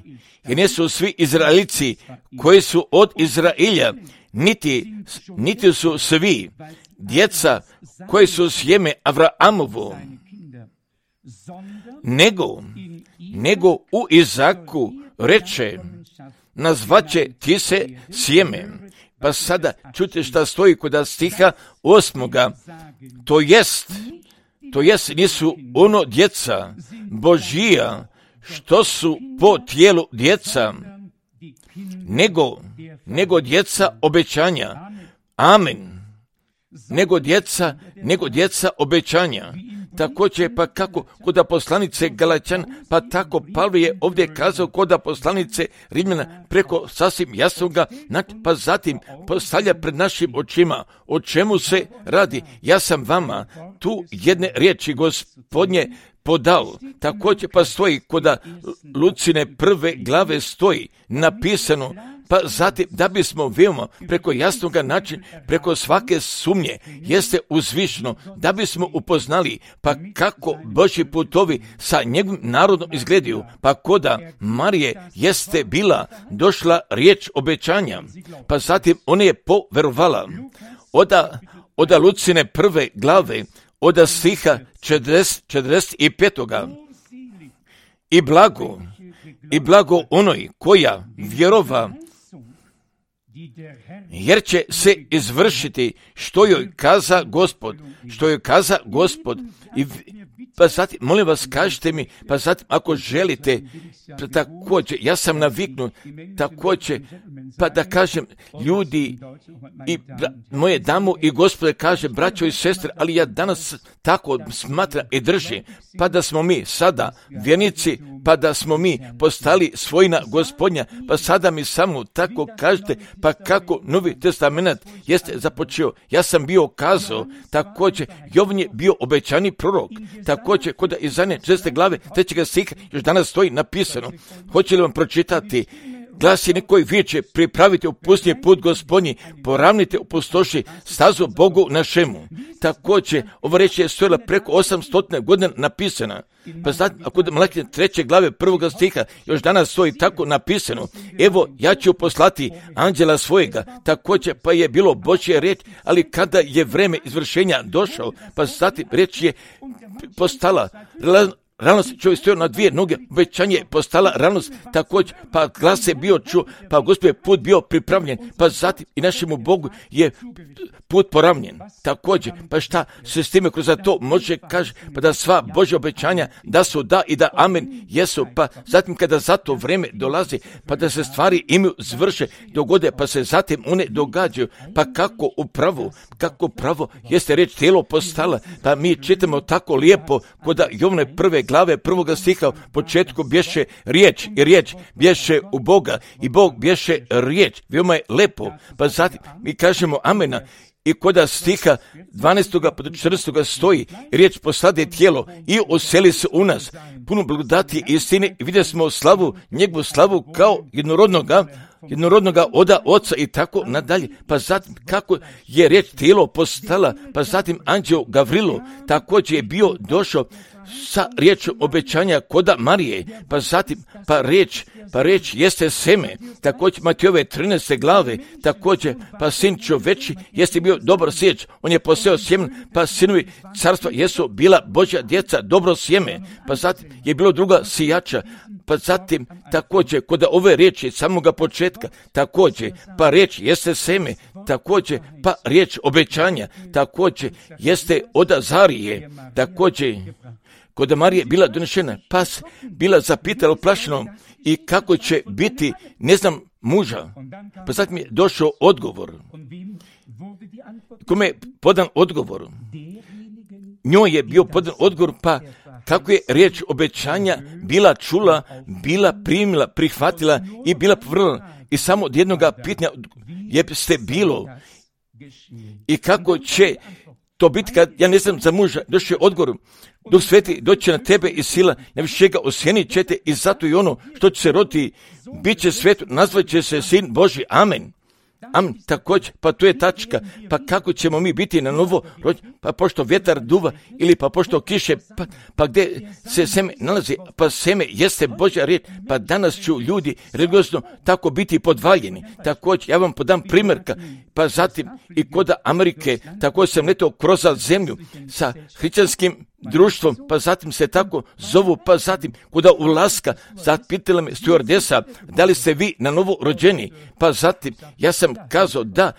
jer nisu svi Izraelici koji su od Izraelja, niti, niti su svi djeca koji su sjeme Avraamovo, nego, nego u Izaku reče, nazvaće ti se sjeme. Pa sada čujte šta stoji kod stiha osmoga, to jest, to jest nisu ono djeca Božija, što su po tijelu djeca, nego, nego djeca obećanja. Amen. Nego djeca, nego djeca obećanja. Također, pa kako kod poslanice Galačan, pa tako Pavle je ovdje kazao kod poslanice Rimljana preko sasvim jasnoga, pa zatim postavlja pred našim očima o čemu se radi. Ja sam vama tu jedne riječi Gospodnje podao. Također pa stoji kod Lucine prve glave stoji napisano, pa zatim da bismo veoma preko jasnoga načina, preko svake sumnje jeste uzvišno, da bismo upoznali pa kako Božji putovi sa njegovim narodom izgledaju, pa koda Marije jeste bila došla riječ obećanja, pa zatim ona je poverovala. Oda, oda Lucine prve glave, oda stiha četrdeset pet. I blago, i blago onoj koja vjerova, jer će se izvršiti što joj kaza Gospod, što joj kaza Gospod. I pa zatim, molim vas, kažite mi, pa zatim, ako želite, također, ja sam naviknut, također, pa da kažem, ljudi i bra, moje damu i Gospode, kaže, braćo i sestre, ali ja danas tako smatram i držim, pa da smo mi sada vjernici, pa da smo mi postali svojina Gospodnja, pa sada mi samo tako kažete, pa kako Novi testament jeste započeo. Ja sam bio kazao, također, Jovan je bio obećani prorok, također, kod Izaije šeste glave, trećega stiha, još danas stoji napisano. Hoće li vam pročitati? Glasi nekoj vijeće, pripravite upusnije put Gospodnji, poravnite u pustoši stazu Bogu našemu. Također, ova reč je stojila preko osamsto godina napisana. Pa znači, ako da Malakije treće glave prvoga stiha, još danas stoji tako napisano. Evo, ja ću poslati anđela svojega. Također, pa je bilo Božja reč, ali kada je vreme izvršenja došao, pa znači reč je postala realnost, čovjek stojao na dvije noge, obećanje je postala realnost, također, pa glas je bio čuo, pa Gospod je put bio pripravljen, pa zatim i našemu Bogu je put poravnjen, također, pa šta se s time kroz to može, kaže, pa da sva Božja obećanja da su da i da amen jesu, pa zatim kada za to vreme dolazi, pa da se stvari imaju zvrše, dogode, pa se zatim one događaju, pa kako upravo, kako pravo jeste reč tijelo postala, pa mi čitamo tako lijepo, koda Jovne prve glave prvoga stiha u početku bješe riječ i riječ bješe u Boga i Bog bješe riječ, veoma je lepo, pa zatim mi kažemo amena. I koda stiha dvanaestog pa do četrnaestog stoji, riječ postade tijelo i oseli se u nas, puno blagodati i istine, i vidjeli smo slavu, njegovu slavu kao jednorodnoga, jednorodnoga oda oca i tako nadalje. Pa zatim kako je riječ tijelo postala, pa zatim anđeo Gavrilo također je bio došao sa riječom obećanja koda Marije, pa zatim pa riječ, pa riječ jeste seme, također Matejove trinaeste glave, također pa sin čoveči jeste bio dobar sječ, on je poseo sjemen, pa sinovi carstva jesu bila Božja djeca, dobro sjeme, pa zatim je bilo druga sijača, pa zatim također kod ove riječi samoga početka, također pa riječ jeste seme, također pa riječ obećanja, također jeste od Azarije, također kod Marije bila donešena, pas bila zapitala uplašenom i kako će biti, ne znam, muža. Pa zatim je došao odgovor. Kome je podan odgovor? Njoj je bio podan odgovor, pa kako je riječ obećanja bila čula, bila primila, prihvatila i bila povrla. I samo od jednoga pitanja jeste bilo. I kako će to biti kad, ja ne znam, za muža, došao je odgovor, Duh Sveti doće na tebe i sila, najvišega osjenit ćete i zato i ono što će se roditi, bit će svetu, nazvat će se Sin Boži, amen. Amen, također, pa tu je tačka, pa kako ćemo mi biti na novo rođeni, pa pošto vjetar duva ili pa pošto kiše, pa, pa gdje se seme nalazi, pa seme jeste Božja riječ, pa danas ću ljudi religiozno tako biti podvaljeni. Također, ja vam podam primjerka, pa zatim i kod Amerike, tako sam letao kroz zemlju sa hrišćanskim društvom, pa zatim se tako zovu, pa zatim kuda ulaska, zapitala me stewardesa, da li ste vi na novo rođeni, pa zatim ja sam kazao da,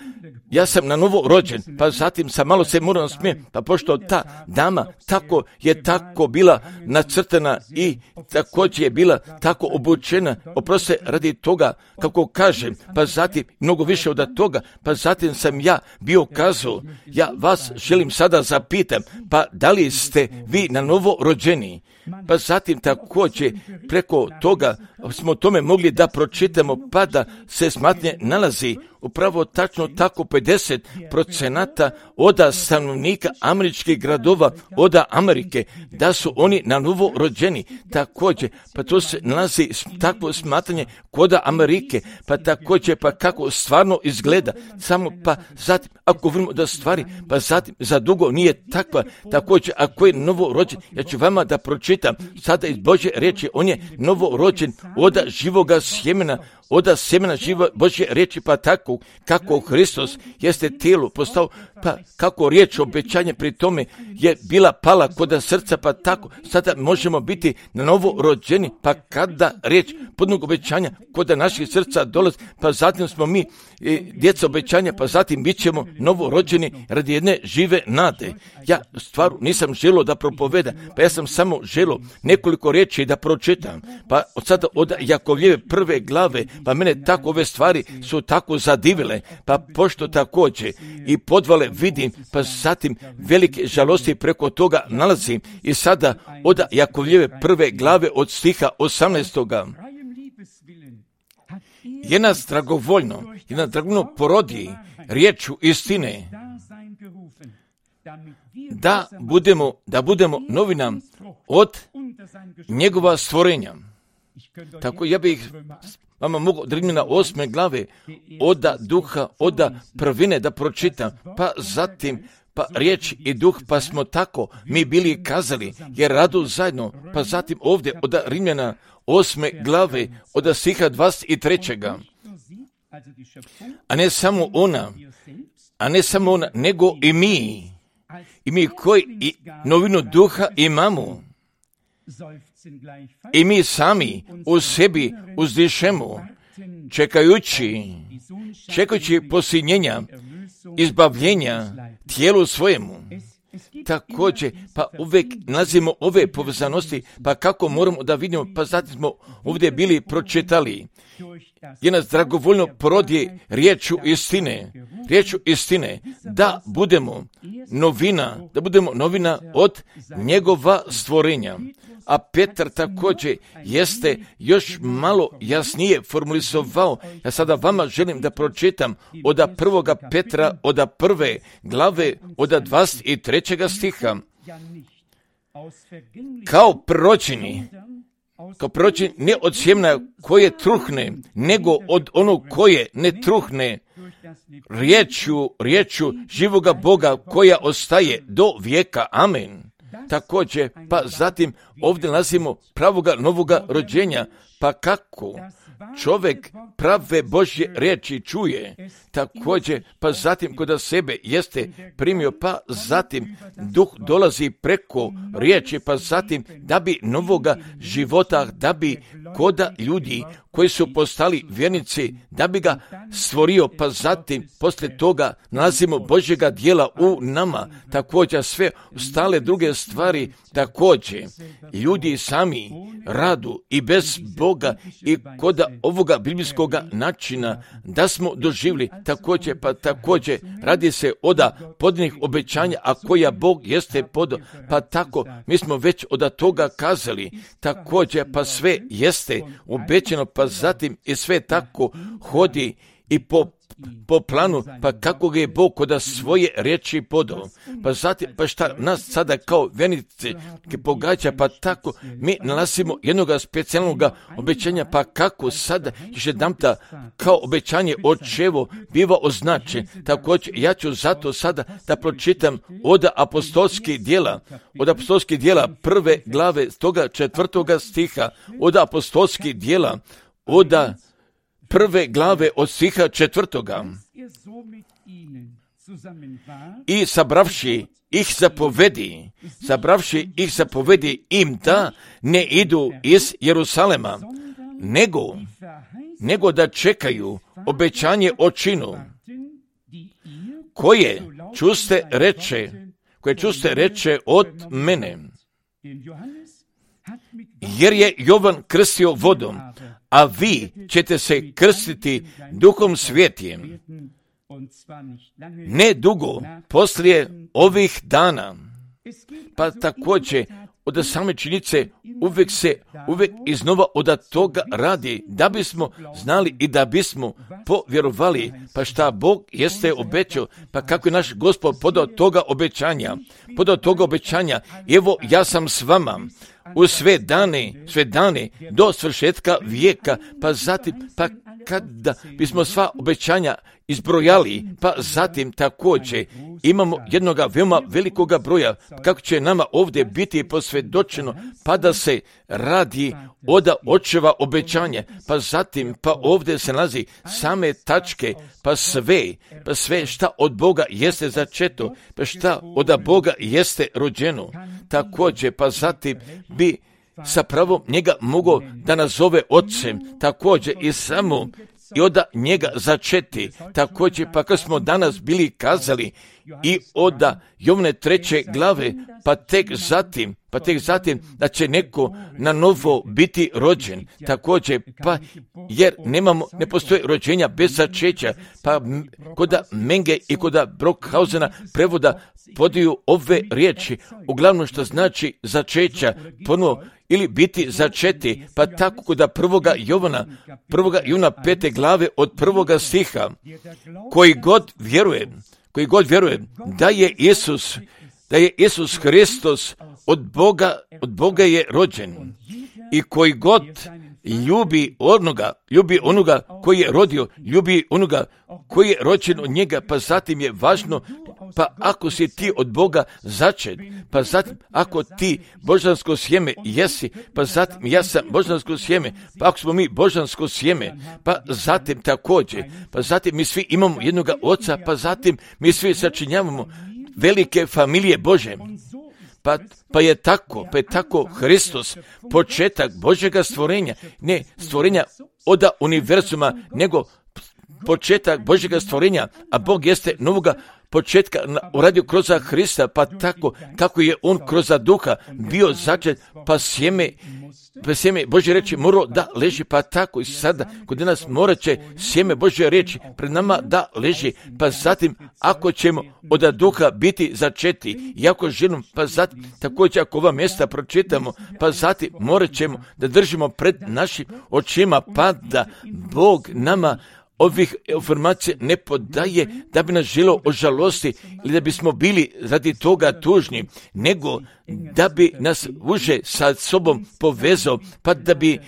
ja sam na novo rođen, pa zatim sam malo se morao smijem, pa pošto ta dama tako je tako bila nacrtana i također je bila tako obučena, oproste radi toga, kako kažem, pa zatim mnogo više od toga, pa zatim sam ja bio kazao, ja vas želim sada zapitam, pa da li ste vi na novo rođeni? Pa zatim također preko toga smo tome mogli da pročitamo, pa da se smatnje nalazi upravo tačno tako pedeset procenata oda stanovnika američkih gradova, oda Amerike, da su oni na novo rođeni. Također, pa to se nalazi takvo smatranje koda Amerike, pa također, pa kako stvarno izgleda, samo pa zatim, ako vidimo da stvari, pa zatim za dugo nije takva, također, ako je novo rođen, ja ću vama da pročitam, sada iz Božje riječi, on je novo rođen oda živoga sjemena, oda sjemena živa Božje riječi, pa tako kako Hristos jeste tijelo postao, pa kako riječ obećanje pri tome je bila pala koda srca, pa tako sada možemo biti na novo rođeni, pa kada riječ podnog obećanja koda naših srca dolazi, pa zatim smo mi e, djeca obećanja, pa zatim bit ćemo novo rođeni radi jedne žive nade. Ja stvaru nisam želio da propovedam, pa ja sam samo želio nekoliko riječi da pročitam, pa od sada od Jakovljeve prve glave, pa mene tako ove stvari su tako zadivile, pa pošto također i podvale vidim, pa zatim velike žalosti preko toga nalazim i sada od Jakovljeve prve glave od stiha osamnaestoga. Je nas dragovoljno, je nas dragovoljno porodi riječu istine, da budemo, da budemo novinam od njegova stvorenja. Tako ja bih vama mogu od Rimljana osme glave oda duha, oda prvine da pročitam, pa zatim pa riječ i duh, pa smo tako mi bili kazali, jer radu zajedno, pa zatim ovdje od Rimljana osme glave, od stiha dvadeset trećega. A ne samo ona, a ne samo ona, nego i mi, i mi koji i novinu duha imamo. I mi sami u sebi uzdišemo, čekajući, čekajući posljednjenja, izbavljenja tijelu svojemu. Također, pa uvijek nalazimo ove povezanosti, pa kako moramo da vidimo, pa zatim smo ovdje bili pročitali. Je nas dragovoljno porodi riječu istine, riječu istine, da budemo novina, da budemo novina od njegova stvorenja. A Petar također jeste još malo jasnije formulizovao. Ja sada vama želim da pročitam od prvoga Petra, od prve glave, od dvadeset trećega stiha. Kao proročeni, kao proročeni ne od sjemena koje truhne, nego od onog koje ne truhne, riječju, riječju živoga Boga koja ostaje do vijeka. Amen. Također, pa zatim ovdje nalazimo pravoga novoga rođenja, pa kako čovjek prave Božje riječi čuje, također, pa zatim kod sebe jeste primio, pa zatim duh dolazi preko riječi, pa zatim da bi novoga života, da bi koda ljudi koji su postali vjernici, da bi ga stvorio, pa zatim poslije toga nalazimo Božjega djela u nama, također sve ostale druge stvari, također ljudi sami radu i bez Boga i koda ovoga biblijskog načina da smo doživjeli, također pa također radi se od podnih obećanja, a koja Bog jeste podao, pa tako mi smo već od toga kazali, također pa sve jeste obećano, pa zatim i sve tako hodi i po po planu, pa kako ga je Bog kod svoje riječi podao. Pa zatim, pa šta nas sada kao vjernici pogađa, pa tako mi nalazimo jednog specijalnog obećanja, pa kako sada još jedanputa kao obećanje očevo biva označen. Također, ja ću zato sada da pročitam od apostolskih djela, od apostolskih djela prve glave toga četvrtoga stiha, od apostolskih djela, od prve glave od stiha četvrtoga. I sabravši ih zapovedi, sabravši ih zapovedi im da ne idu iz Jerusalema, nego, nego da čekaju obećanje o činu, koje čuste reče, koje čuste reče od mene. Jer je Jovan krstio vodom, a vi ćete se krstiti Duhom Svjetijim. Ne dugo poslije ovih dana. Pa također od same činjenice uvijek se, uvijek iznova od toga radi, da bismo znali i da bismo povjerovali, pa šta Bog jeste obećao, pa kako je naš Gospod podao toga obećanja, podao toga obećanja, evo ja sam s vama u sve dane, sve dane do svršetka vijeka, pa zatim, pa kada bismo sva obećanja izbrojali, pa zatim također imamo jednoga veoma velikoga broja, kako će nama ovdje biti posvjedočeno, pa da se radi od očeva obećanja, pa zatim, pa ovdje se nalazi same tačke, pa sve, pa sve šta od Boga jeste začeto, pa šta od Boga jeste rođeno, također, pa zatim bi sa pravom njega mogao da nazove ocem, također i samo i od njega začeti, također pa kad smo danas bili kazali i od Jovne treće glave, pa tek zatim, pa tek zatim da će neko na novo biti rođen, također pa jer nemamo, ne postoje rođenja bez začeća, pa kod Menge i kod Brockhausena prevoda podiju ove riječi, uglavnom što znači začeća, ponovo ili biti začeti, pa tako kod prvoga Jovana, prvoga Jovana pete glave od prvoga stiha, koji god vjeruje, koji god vjeruje da je Isus, da je Isus Hristos od Boga, od Boga je rođen i koji god ljubi onoga, ljubi onoga koji je rodio, ljubi onoga koji je rođen od njega, pa zatim je važno, pa ako si ti od Boga začet, pa zatim ako ti božansko sjeme jesi, pa zatim ja sam božansko sjeme, pa ako smo mi božansko sjeme, pa zatim također, pa zatim mi svi imamo jednoga oca, pa zatim mi svi sačinjavamo velike familije Bože. Pa, pa je tako, pa je tako Hristos, početak Božjega stvorenja, ne stvorenja od univerzuma, nego početak Božjega stvorenja, a Bog jeste novoga početka uradio kroz Hrista, pa tako kako je on kroz duha bio začet, pa sjeme, pa sjeme Božje reči morao da leži, pa tako i sada kod nas morat će sjeme Božje reči pred nama da leži, pa zatim ako ćemo od duha biti začeti, i ako želimo, pa zatim također ako ova mjesta pročitamo, pa zatim morat ćemo da držimo pred našim očima, pa da Bog nama ovih informacija ne podaje da bi nas želio ožalosti ili da bismo bili radi toga tužni, nego da bi nas uže sa sobom povezao, pa da bi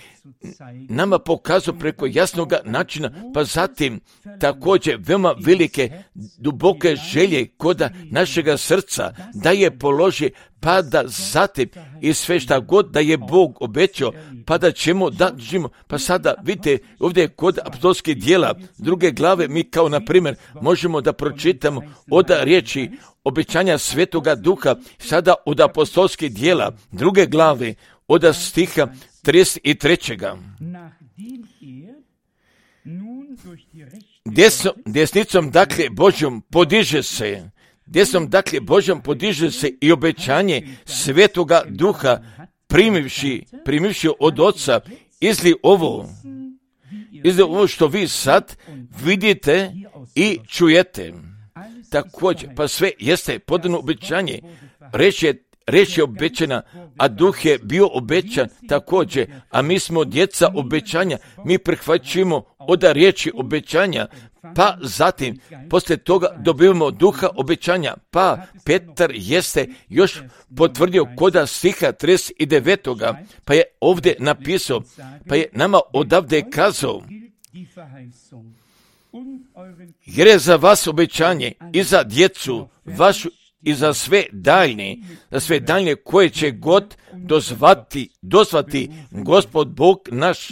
nama pokazao preko jasnog načina, pa zatim također veoma velike, duboke želje koda našega srca da je položi, pa da zatim i sve šta god da je Bog obećao, pa da ćemo da živimo. Pa sada vidite ovdje kod apostolskih djela druge glave mi kao na primjer možemo da pročitamo od riječi obećanja Svetoga Duha, sada od apostolskih djela druge glave od stiha trideset tri. Desno, desnicom dakle Božjom podiže se, desnom dakle Božjom podiže se i obećanje Svetoga Duha primivši, primivši od Oca, izli ovo, izli ovo što vi sad vidite i čujete. Također, pa sve jeste podano obećanje, reč je Reč je obećana, a Duh je bio obećan također, a mi smo djeca obećanja, mi prihvaćujemo od riječi obećanja, pa zatim, poslije toga dobivamo Duha obećanja, pa Petar jeste još potvrdio koda stiha trideset devet. Pa je ovdje napisao, pa je nama odavde kazao, jer je za vas obećanje i za djecu vašu i za sve daljne, za sve daljne koje će god dozvati, dozvati Gospod Bog naš.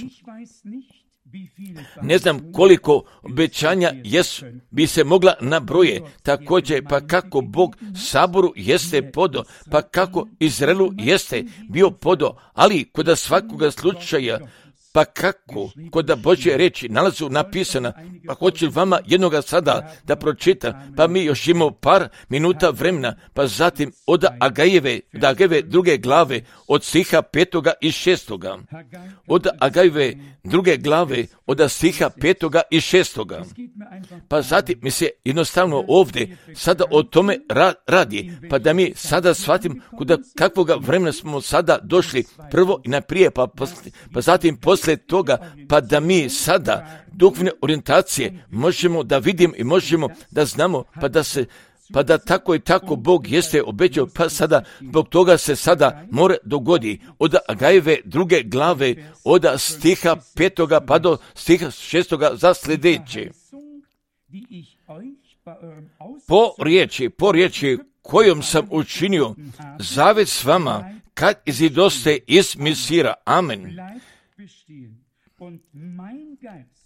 Ne znam koliko obećanja jesu, bi se mogla nabroje, također pa kako Bog Saboru jeste podo, pa kako Izraelu jeste bio podo, ali kod svakoga slučaja, pa kako kod Božje reči nalazu napisana, pa hoću vama jednoga sada da pročitam, pa mi još imamo par minuta vremena, pa zatim od Agajeve, od Agajeve druge glave, od stiha petoga i šestoga, od Agajeve druge glave, od stiha petoga i šestoga, pa zatim mi se jednostavno ovdje sada o tome ra- radi, pa da mi sada shvatim kod kakvoga vremena smo sada došli, prvo i naprije, pa, posle, pa zatim posle Poslije toga, pa da mi sada duhovne orijentacije možemo da vidimo i možemo da znamo, pa da se, pa da tako i tako Bog jeste obećao, pa sada zbog toga se sada mora dogodi od Agajeve druge glave, od stiha petoga pa do stiha šestoga za sljedeće. Po riječi, po riječi kojom sam učinio zavjet s vama, kad izidoste iz Misira. Amen.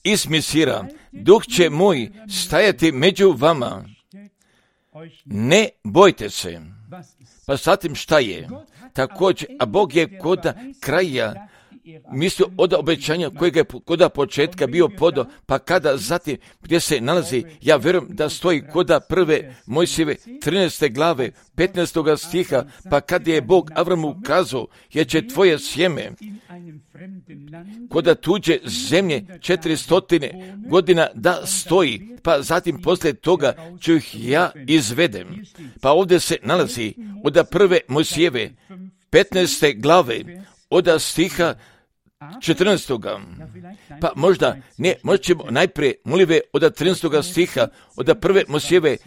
Iz Misira, Duh će moj stajati među vama. Ne bojte se. Pa zatim šta je? Također, a Bog je kod kraja mislio od obećanja kojeg je kod početka bio podo, pa kada zatim gdje se nalazi, ja vjerujem da stoji kod prve Mojsijeve trinaeste glave, petnaestoga stiha, pa kad je Bog Avramu kazao, jer će tvoje sjeme kod tuđe zemlje četiristotine godina da stoji, pa zatim poslije toga ću ih ja izvedem. Pa ovdje se nalazi od prve Mojsijeve petnaeste glave, od stiha četrnaestoga. Pa možda, ne, možda ćemo najprije molive od trinaestoga stiha, od prve Mojsijeve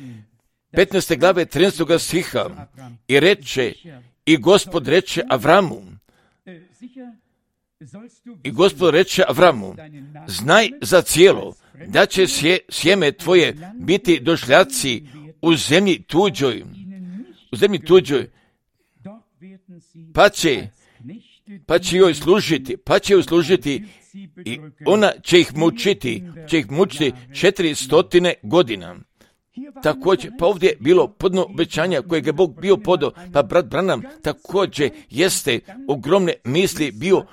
petnaeste glave trinaestoga stiha. I reče, i Gospod reče Avramu, i Gospod reče Avramu, znaj za cijelo, da će sje, sjeme tvoje biti došljaci u zemlji tuđoj, u zemlji tuđoj, pa će pa će joj služiti, pa će joj služiti i ona će ih mučiti, će ih mučiti četiri stotine godina. također, pa ovdje je bilo podno obećanja kojeg je Bog bio podao, pa brat Branham također jeste ogromne misli bio,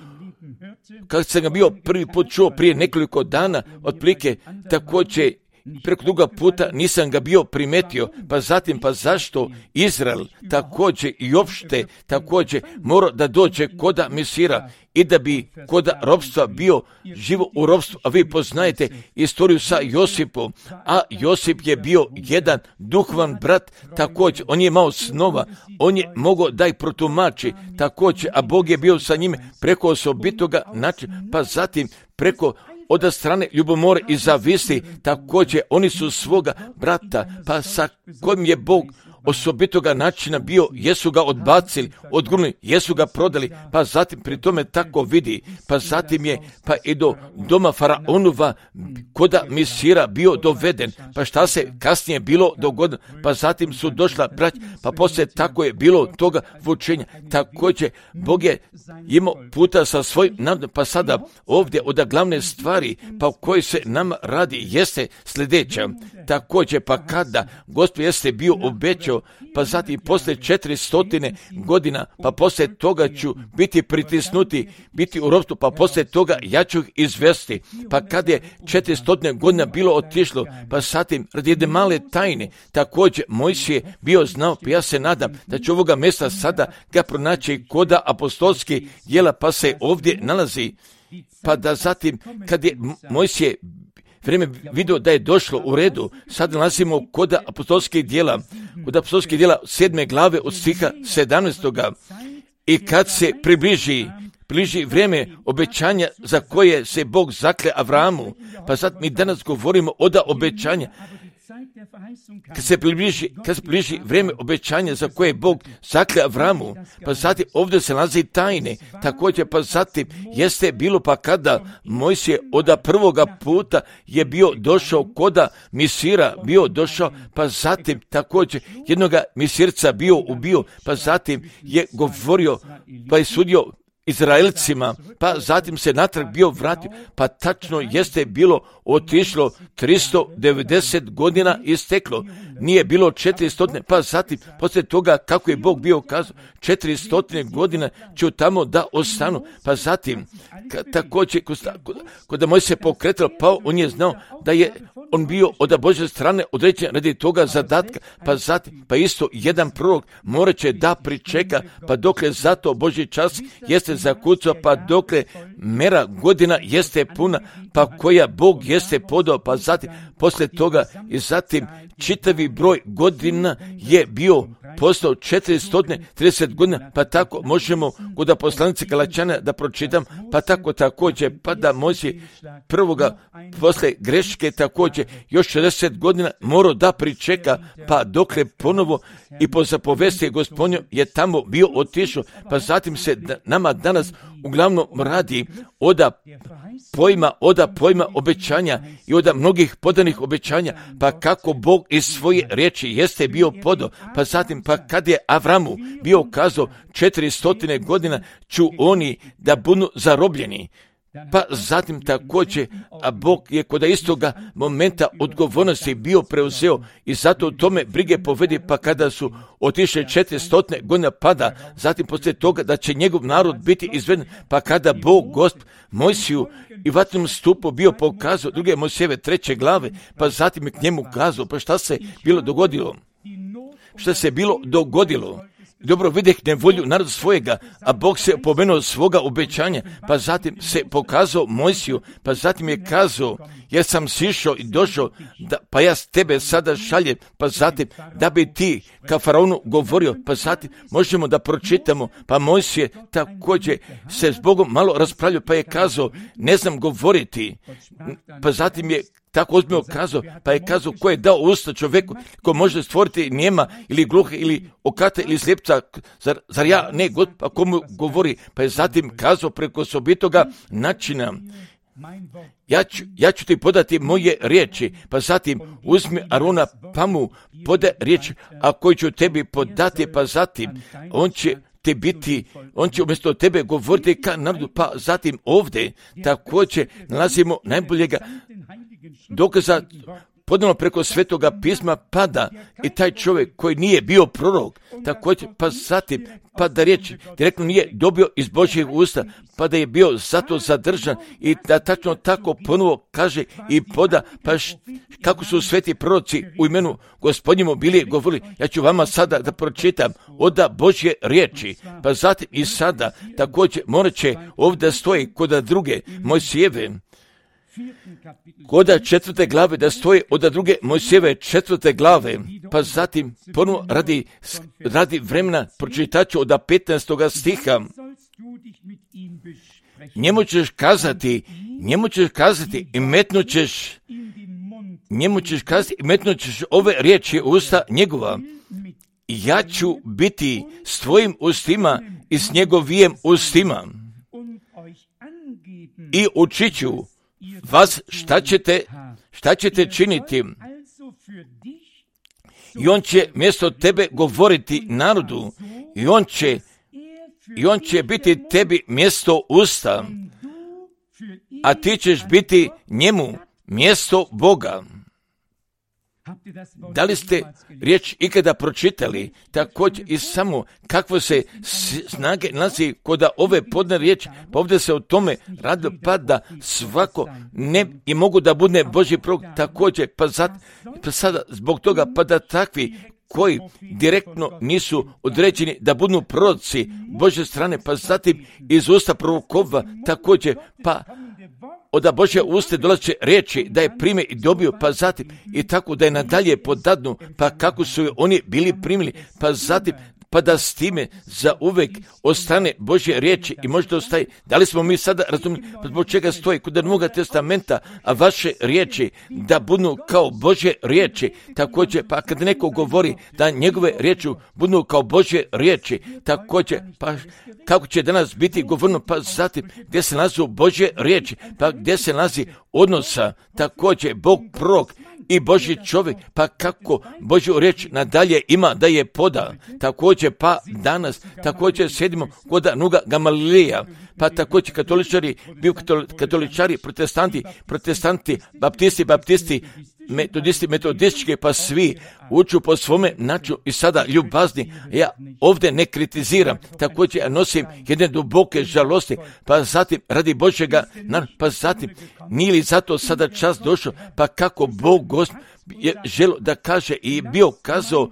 kad sam ga bio prvi put čuo prije nekoliko dana, otprilike također preko druga puta nisam ga bio primetio, pa zatim pa zašto Izrael također i opšte također mora da dođe koda Mesira i da bi koda robstva bio živo u robstvu, a vi poznajete istoriju sa Josipom, a Josip je bio jedan duhovan brat, također on je imao snova, on je mogao da ih protumači također, a Bog je bio sa njime preko osobitoga načina, pa zatim preko od strane ljubomore i zavisti, također oni su svoga brata, pa sa kojim je Bog osobitoga načina bio, jesu ga odbacili, odgurnuli, jesu ga prodali, pa zatim pri tome tako vidi, pa zatim je pa i do doma Faraonova koda Misira bio doveden, pa šta se kasnije bilo dogodilo, pa zatim su došla brać, pa poslije tako je bilo toga vučenja, također Bog je imao puta sa svojim narodom, pa sada ovdje od glavne stvari, pa u kojoj se nama radi, jeste sljedeća, također pa kada Gospod jeste bio obećao, pa zatim poslije četiristotine godina, pa poslije toga ću biti pritisnuti, biti u ropstvu, pa poslije toga ja ću ih izvesti. Pa kad je četiristotine godina bilo otišlo, pa zatim radi jedne male tajne, također Mojsije bio znao, pa ja se nadam da će ovoga mjesta sada ga pronaći koda apostolski djela, pa se ovdje nalazi, pa da zatim kad je Mojsije vrijeme vidio da je došlo u redu, sad nalazimo kod apostolskih djela, kod apostolskih djela sedme glave od stiha sedamnaestoga i kad se približi, približi vrijeme obećanja za koje se Bog zakle Avramu, pa sad mi danas govorimo o da obećanja, kad se približi, kad se približi vrijeme obećanja za koje je Bog zakle Avramu, pa zatim ovdje se nalazi tajne, također pa zatim jeste bilo pa kada Mojsije od prvoga puta je bio došao koda Misira, bio došao, pa zatim također jednoga Misirca bio ubio, pa zatim je govorio, pa je sudio Izraelcima, pa zatim se natrag bio vratio, pa tačno jeste bilo otišlo tristo devedeset godina isteklo, nije bilo četiristo, pa zatim poslije toga kako je Bog bio kazao, četiristo godina ću tamo da ostanu, pa zatim također kod moj se pokretalo, pa on je znao da je on bio od Božje strane određen radi toga zadatka, pa zatim, pa isto jedan prorok morat će da pričeka, pa dokle zato Božji čas jeste zakucao, pa dokle mera godina jeste puna, pa koja Bog jeste podao, pa zatim, poslije toga i zatim čitavi broj godina je bio postao četiristo trideset godina, pa tako možemo kod poslanice Galačana da pročitam, pa tako također, pa da Mojsije prvoga posle greške također još šezdeset godina morao da pričeka, pa dokle ponovo i po zapovesti Gospodnjom je tamo bio otišao, pa zatim se da, nama danas uglavnom radi oda pojma, oda pojma obećanja i oda mnogih podanih obećanja, pa kako Bog iz svoje riječi jeste bio podao, pa zatim pa kad je Avramu bio kazao četiristo godina ću oni da budu zarobljeni, pa zatim također, a Bog je kod istoga momenta odgovornosti bio preuzeo i zato u tome brige povedi, pa kada su otišle četiristo godina pada, zatim poslije toga da će njegov narod biti izveden, pa kada Bog Gospod Mojsiju i vatrenom stupu bio pokazao druge Mojsijeve treće glave, pa zatim je k njemu kazao, pa šta se bilo dogodilo? Šta se bilo dogodilo? Dobro vidjeh nevolju naroda svojega, a Bog se opomenuo svoga obećanja, pa zatim se pokazao Mojsiju, pa zatim je kazao, jer sam sišao i došao, da, pa ja s tebe sada šaljem, pa zatim da bi ti ka Faraonu govorio, pa zatim možemo da pročitamo, pa Mojsije također se s Bogom malo raspravljao, pa je kazao, ne znam govoriti, pa zatim je tako ozbiljno kazao, pa je kazao ko je dao usta čovjeku, ko može stvoriti njema ili gluhe ili okate ili slijepca, zar, zar ja ne, God, pa komu govori, pa je zatim kazao preko osobitoga načina, ja ću, ja ću ti podati moje riječi, pa zatim uzmi Arona pa mu poda riječ, a koju ću tebi podati, pa zatim on će te biti, on će umjesto tebe govoriti ka narodu, pa zatim ovdje također nalazimo najboljega dokaza ponovno preko Svetoga pisma pada i taj čovjek koji nije bio prorok, također, pa zatim, pa da riječ direktno nije dobio iz Božjeg usta, pa da je bio zato zadržan i da tačno tako ponovo kaže i poda, pa š, kako su sveti proroci u imenu Gospodnjemu bili govorili, ja ću vama sada da pročitam oda Božje riječi, pa zatim i sada također morat će ovdje stoji kod druge Mojsijeve, koda četvrte glave da stoji od druge Mojsijeve četvrte glave, pa zatim ponovo radi, radi vremena pročitaću od petnaestoga stiha. Njemu ćeš kazati, njemu ćeš kazati i metnut ćeš, njemu ćeš kazati i metnut ćeš ove riječi u usta njegova. Ja ću biti s tvojim ustima i s njegovijem ustima i učit ću vas šta ćete, šta ćete činiti. I on će mjesto tebe govoriti narodu i on će, i on će biti tebi mjesto usta, a ti ćeš biti njemu mjesto Boga. Da li ste riječ ikada pročitali također i samo kakvo se snage nalazi kod ove podne riječi, pa ovdje se o tome radi, pa da svako ne i mogu da bude Božji prorok također, pa, zat, pa sada zbog toga pa da takvi koji direktno nisu određeni da budu proroci Božje strane, pa zatim iz usta prorokova također, pa od Božje uste dolaze riječi da je prime i dobio, pa zatim i tako da je nadalje podadnu, pa kako su je oni bili primili, pa zatim pa da s time za uvek ostane Božje riječi i možda ostaje. Da li smo mi sada razumjeli pa zbog čega stoji kod Novoga testamenta, a vaše riječi da budu kao Božje riječi, također pa kad neko govori da njegove riječi budu kao Božje riječi, također pa kako će danas biti govorno, pa zatim gdje se nalazi Božje riječi, pa gdje se nalazi odnosa, također Bog prorok i Božji čovjek, pa kako Božju riječ nadalje ima da je poda. Također pa danas, također sjedimo kod Nuga Gamalileja, pa također katoličari, bio katoličari, protestanti, protestanti, baptisti, baptisti, metodisti, metodistički, pa svi uču po svome načinu i sada ljubazni. Ja ovdje ne kritiziram, također ja nosim jedne duboke žalosti, pa zatim radi Božjega, pa zatim nije li zato sada čas došao, pa kako Bog Gospod je želo da kaže i bio kazao,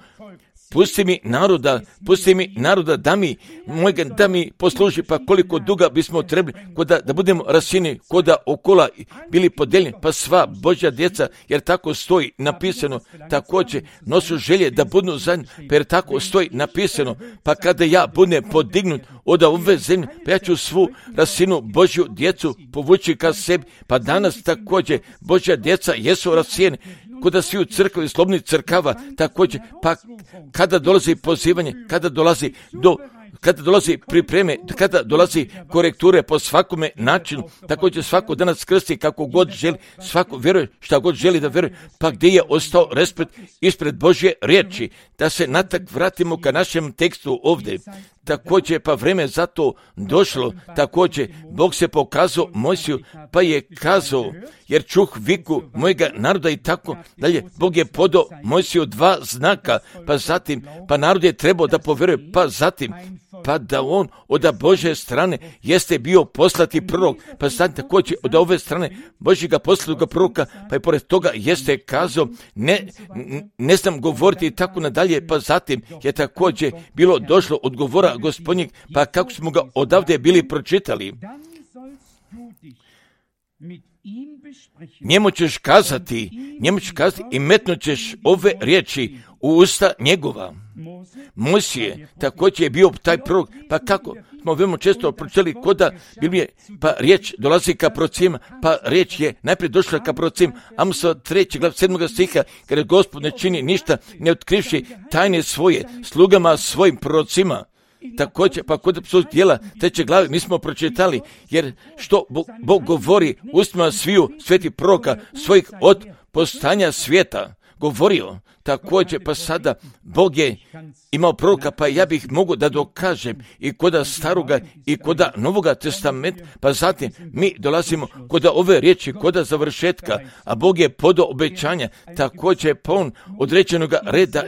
pusti mi naroda, pusti mi naroda da mi, mojega, da mi posluži, pa koliko duga bismo trebali, koda, da budemo rasini, koda okola bili podeljeni, pa sva Božja djeca, jer tako stoji napisano, također nosu želje da budu zajedno, pa jer tako stoji napisano, pa kada ja budem podignut od ove zemlje, pa ja ću svu rasinu Božju djecu povući ka sebi, pa danas također Božja djeca jesu rasijeni, kuda svi u crkvi slobodnih crkava, također, pa kada dolazi pozivanje, kada dolazi do, kada dolazi pripreme, kada dolazi korekture po svakome načinu, također svako danas krsti kako god želi, svako vjeruje šta god želi da vjeruje, pa gdje je ostao respekt ispred Božje riječi, da se natak vratimo ka našem tekstu ovdje. Također pa vreme za to došlo, također Bog se pokazao Mojsiju, pa je kazao, jer čuh viku mojega naroda i tako dalje. Bog je podao Mojsiju dva znaka, pa zatim, pa narod je trebao da povjeruje, pa zatim, pa da on od Božje strane jeste bio poslati prorok, pa zatim također od ove strane Božjega poslatoga proroka, pa i pored toga jeste kazao, ne, ne znam govoriti i tako nadalje, pa zatim je također bilo došlo od govora Gospodnjeg, pa kako smo ga odavde bili pročitali. Njemu ćeš kazati, njemu ćeš kazati i metnut ćeš ove riječi u usta njegova. Mojsije također je bio taj prorok, pa kako smo veoma često pročitali koda Biblije, pa riječ dolazi ka prorocima, pa riječ je najprije došla ka prorocima, Amosa treći glav sedmoga stiha, kada Gospod ne čini ništa, ne otkrivši tajne svoje slugama svojim prorocima. Također, pa kod apsolutnog dijela treće glave mi smo pročitali, jer što Bog, Bog govori ustima sviju svetih proroka svojih od postanja svijeta. govorio. Također, pa sada Bog je imao proroka, pa ja bih mogu da dokažem i koda staroga i koda novoga testamenta, pa zatim mi dolazimo koda ove riječi, koda završetka, a Bog je podao obećanja, također pa on određenog reda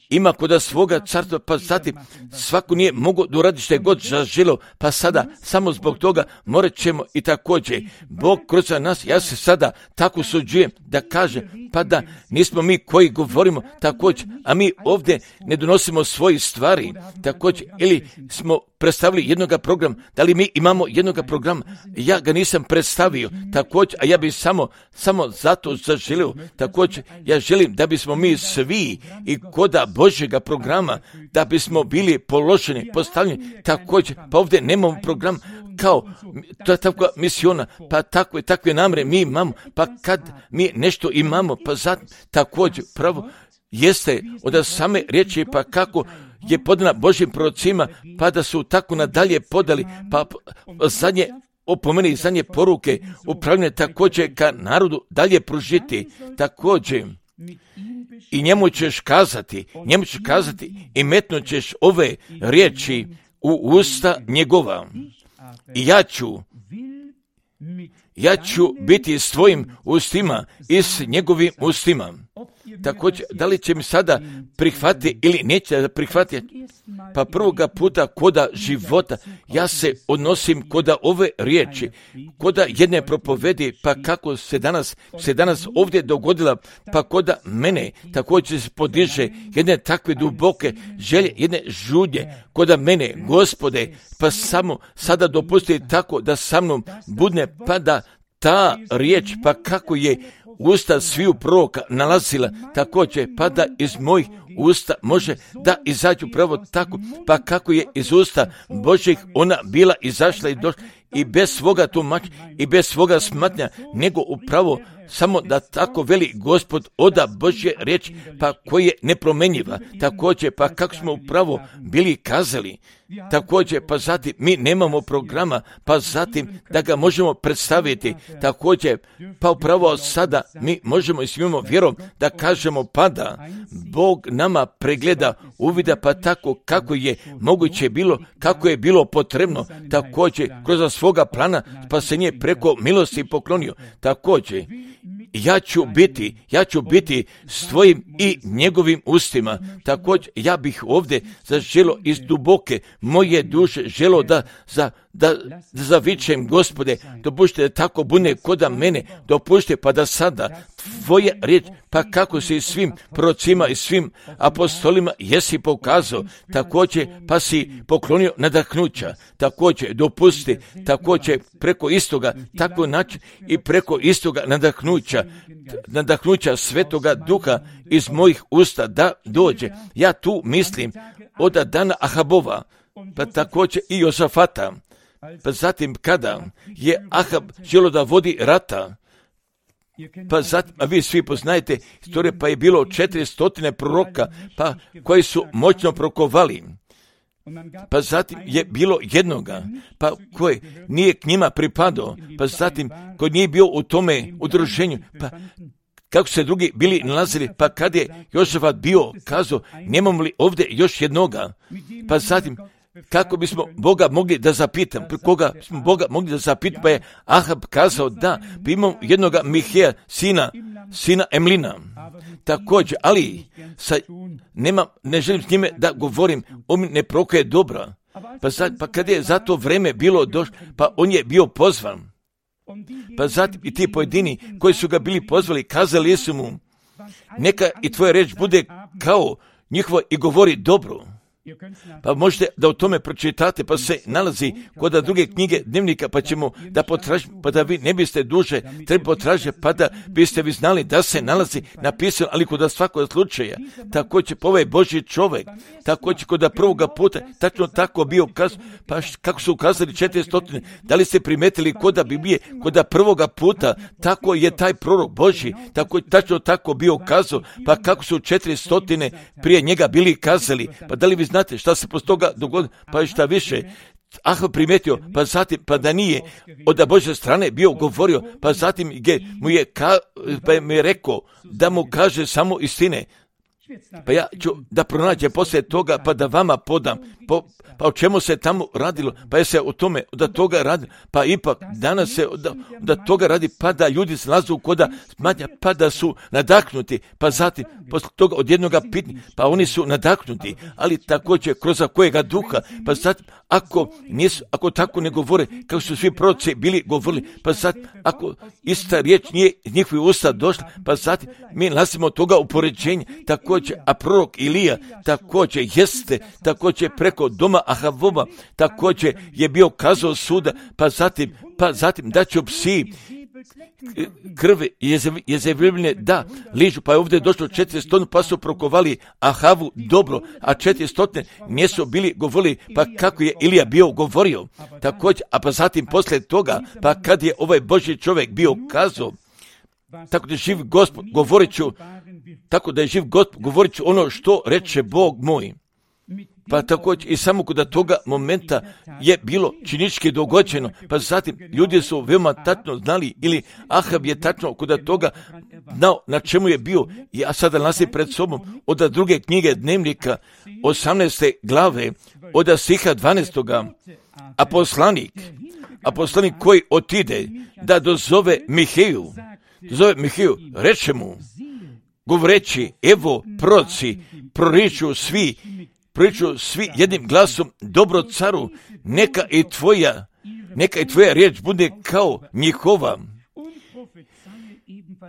ima koda svoga carstva, pa zatim svako nije mogo da uradi što je god zaželio, pa sada samo zbog toga morat ćemo i također Bog kroz nas, ja se sada tako suđujem da kaže, pa da nismo mi koji govorimo također, a mi ovdje ne donosimo svoje stvari također, ili smo predstavili jednoga programa, da li mi imamo jednoga programa, ja ga nisam predstavio također, a ja bih samo, samo zato zaželio također, ja želim da bismo mi svi i koda Božjega programa, da bismo bili položeni, postavljeni također, pa ovdje nemamo program kao to je takva misiona, pa takve, takve namre mi imamo, pa kad mi nešto imamo, pa zato također pravo jeste od same riječi, pa kako je podana Božjim prorocima, pa da su tako nadalje podali, pa zadnje opomene i zadnje poruke upravljene također ka narodu dalje pružiti, također i njemu ćeš kazati, njemu ćeš kazati i metnut ćeš ove riječi u usta njegova. I ja ću, ja ću biti s tvojim ustima i s njegovim ustima. Također, da li će mi sada prihvatiti ili neće da prihvatiti? Pa prvoga puta koda života ja se odnosim koda ove riječi, koda jedne propovedi, pa kako se danas, se danas ovdje dogodila, pa koda mene također se podiže jedne takve duboke želje, jedne žudnje, koda mene, Gospode, pa samo sada dopusti tako da sa mnom budne, pa da ta riječ, pa kako je usta sviju proroka nalazila također, pa da iz mojih usta može da izađu pravo tako, pa kako je iz usta Božjih ona bila izašla i došla i bez svoga tumača i bez svoga smatnja, nego upravo samo da tako veli Gospod oda Božje riječ, pa koji je nepromenjiva, također, pa kako smo upravo bili kazali, također, pa zatim mi nemamo programa, pa zatim da ga možemo predstaviti, također, pa upravo sada mi možemo i svima vjerom da kažemo, pa da Bog nama pregleda, uvida, pa tako kako je moguće bilo, kako je bilo potrebno, također, kroz svoga plana spasenje preko milosti poklonio, također, ja ću biti, ja ću biti s tvojim i njegovim ustima. Također, ja bih ovdje zaželo iz duboke moje duše želo da, za, da, da zavičem, Gospode, dopušte da tako bude koda mene, dopušte pa da sada tvoje riječ, pa kako si svim prorocima i svim apostolima jesi pokazao, također pa si poklonio nadahnuća, također dopusti, također preko istoga, tako način i preko istoga nadahnuća, nadahnuća Svetoga Duha iz mojih usta da dođe. Ja tu mislim od dana Ahabova, pa također i Jozafata, pa zatim kada je Ahab želio da vodi rata, pa zatim, a vi svi poznajete istorije, pa je bilo četiristo proroka, pa koji su moćno prokovali. Pa zatim je bilo jednoga, pa koji nije k njima pripadao, pa zatim koji nije bio u tome udruženju, pa kako se drugi bili nalazili, pa kad je Jozafat bio kazao, nemamo li ovdje još jednoga, pa zatim kako bismo Boga mogli da zapitam, koga smo Boga mogli da zapitam, pa je Ahab kazao da, pa imamo jednoga Miheja, sina, sina Emlina, također, ali sa, nema, ne želim s njime da govorim, on ne prokaje dobra, pa, za, pa kad je za to vreme bilo došlo, pa on je bio pozvan, pa zatim i ti pojedini koji su ga bili pozvali, kazali su mu, neka i tvoja reč bude kao njihova i govori dobro. Pa možete da o tome pročitate, pa se nalazi kod druge knjige dnevnika, pa ćemo da potražimo, pa da vi ne biste duže treba potražiti, pa da biste vi znali da se nalazi napisano, ali kod svakog slučaja, tako će ovaj Božji čovjek, tako će kod prvoga puta, tačno tako bio ukaz, pa kako su ukazali četiristo, da li ste primetili kod Biblije, kod prvoga puta, tako je taj prorok Božji, tako tačno tako bio ukazao, pa kako su četiristo prije njega bili kazali, pa da li vi znate šta se posto toga dogodilo, pa šta više, Ahav primetio, pa zatim, pa da nije od Božje strane bio govorio, pa zatim mu je, ka, pa mu je rekao da mu kaže samo istine. Pa ja ću da pronađem poslije toga, pa da vama podam, po, pa o čemu se tamo radilo, pa je se o tome, da toga radi, pa ipak danas se da, da toga radi, pa da ljudi se nalazu koda smanja, pa da su nadahnuti, pa zatim, posle toga od jednoga pitanja, pa oni su nadahnuti, ali također kroz kojega duha, pa zatim, ako, nisu, ako tako ne govore, kako su svi proroci bili govorili, pa zatim, ako ista riječ nije iz njihovih usta došla, pa zatim, mi nalazimo toga upoređenja, također, a prorok Ilija također jeste, također preko doma Ahavova, također je bio kazao suda, pa zatim, pa zatim da će psi krvi Jezebelove da ližu, pa je ovdje došlo četiristo, pa su prokovali Ahavu dobro, a četiristo nisu bili govorili, pa kako je Ilija bio govorio, također, a pa zatim poslije toga, pa kad je ovaj Božji čovjek bio kazao, tako da je živ Gospod, govorit ću, tako da je živ Gospod, govorit ću ono što reče Bog moj. Pa također i samo kod toga momenta je bilo činički dogođeno, pa zatim ljudi su veoma tačno znali, ili Ahav je tačno kod toga znao na čemu je bio, i ja sada nalazi pred sobom od druge knjige Dnevnika, osamnaeste glave, od stiha dvanaestoga, a poslanik, a poslanik koji otide da dozove Miheju, dozove Miheju, reče mu, govoreći, evo proroci proriču svi, proriču svi jednim glasom, dobro caru, neka i tvoja, neka i tvoja riječ bude kao njihova.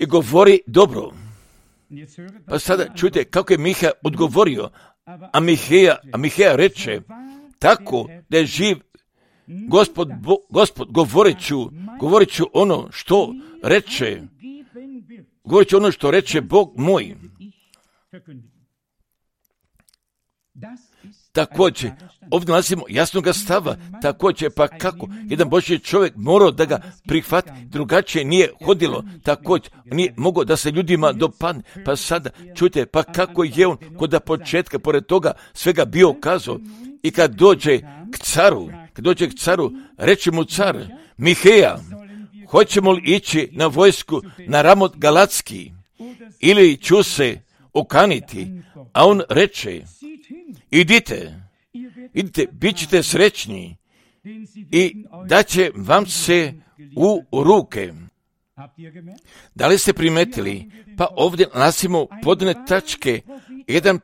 I govori dobro. Pa sada čujte kako je Miha odgovorio, a Miheja, a Miheja reče, tako da je živ Gospod, Bo, Gospod govorit ću, govorit ću ono što reče, govorit ću ono što reče Bog moj. Također, ovdje nalazimo jasnoga stava, također, pa kako jedan Božji čovjek morao da ga prihvati, drugačije nije hodilo, također, nije mogao da se ljudima dopadne, pa sada, čujte, pa kako je on kod početka, pored toga, svega bio kazao, i kad dođe k caru, kad dođe k caru, reče mu car, Miheja, hoćemo li ići na vojsku na Ramot Galatski, ili ću se okaniti, a on reče, idite, idite, bit ćete srećni i daće vam se u ruke. Da li ste primetili? Pa ovdje nalazimo podne tačke, jedan,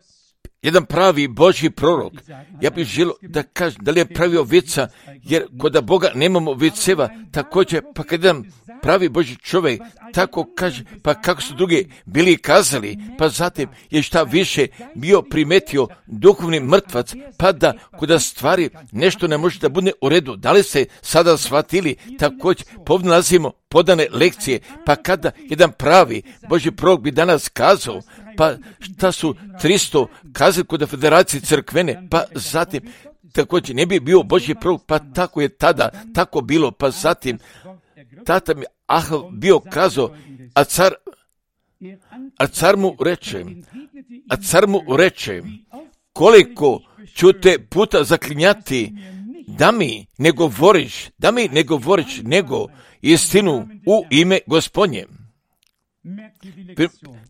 jedan pravi Božji prorok. Ja bih želio da kažem, da li je pravio vica, jer kod Boga nemamo viceva, također, pa kad jedan pravi Božji čovjek tako kaže, pa kako su drugi bili kazali, pa zatim je šta više bio primetio duhovni mrtvac, pa da kod stvari nešto ne može da bude u redu. Da li se sada shvatili? Također povnalazimo podane lekcije, pa kada jedan pravi Božji prorok bi danas kazao, pa šta su tristo kazali kod Federacije crkvene, pa zatim također ne bi bio Božji prorok, pa tako je tada, tako bilo, pa zatim tata mi Ahav bio kazao, a car, a car mu reče, a car mu reče, koliko ću te puta zaklinjati, da mi ne govoriš, da mi ne govoriš, nego istinu u ime Gospodnje.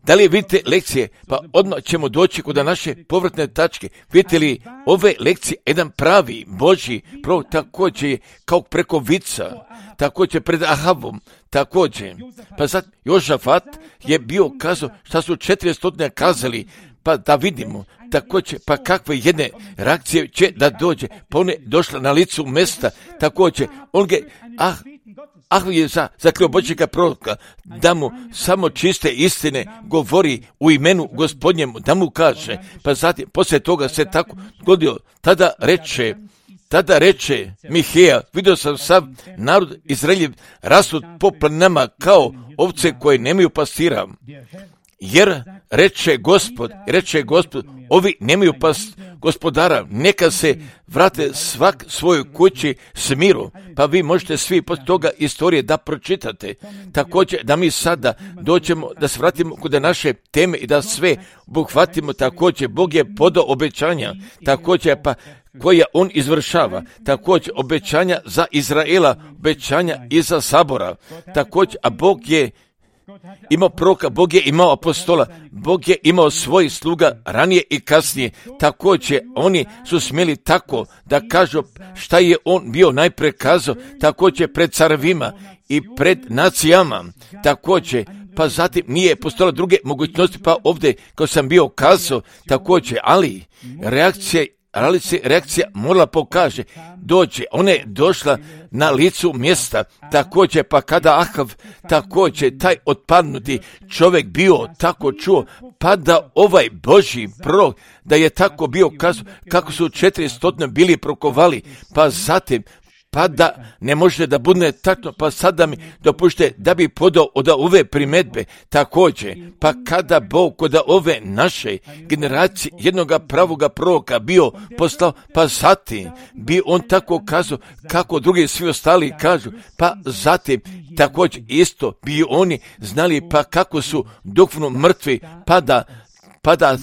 Da li vidite lekcije? Pa odmah ćemo doći kod naše povratne tačke. Vidite li ove lekcije, jedan pravi Božji prorok također kao preko vica, također pred Ahavom, također. Pa sad Jožafat je bio kazao šta su četiristo kazali, pa da vidimo također, pa kakve jedne reakcije će da dođe, pa on je došla na licu mesta, također, on ga, ah, Ah je za, zakrio Božjega proroka, da mu samo čiste istine govori u imenu Gospodnjemu, da mu kaže, pa zatim, poslije toga se tako dogodio, tada reče, tada reče Miheja, vidio sam sav narod Izraeljev rasut po planinama kao ovce koje nemaju pastira, jer reče Gospod, reče Gospod, ovi nemaju pas gospodara, neka se vrate svak svojoj kući s miru, pa vi možete svi poslije toga istorije da pročitate. Također da mi sada dođemo, da se vratimo kod naše teme i da sve obuhvatimo. Također Bog je podao obećanja, također pa koja on izvršava, također obećanja za Izraela, obećanja i za sabora, također, a Bog je imao proroka, Bog je imao apostola, Bog je imao svojih sluga ranije i kasnije. Također, oni su smjeli tako da kažu šta je on bio najprije kazao, također pred carevima i pred nacijama, također, pa zatim nije postojala druge mogućnosti, pa ovdje, kao sam bio kazao, također, ali reakcija ali se reakcija morala pokaže, dođe, ona je došla na licu mjesta, također, pa kada Ahav, također, taj otpadnuti čovjek bio tako čuo, pa da ovaj Božji prorok, da je tako bio kazao, kako su četiristotno bili prokovali, pa zatim, pa da ne može da bude tačno, pa sada mi dopušte da bi podao od ove primedbe, također, pa kada Bog kod ove naše generacije jednoga pravoga proroka bio poslao, pa zatim bi on tako kazao kako drugi svi ostali kažu, pa zatim također isto bi oni znali pa kako su duhovno mrtvi, pa da, pa da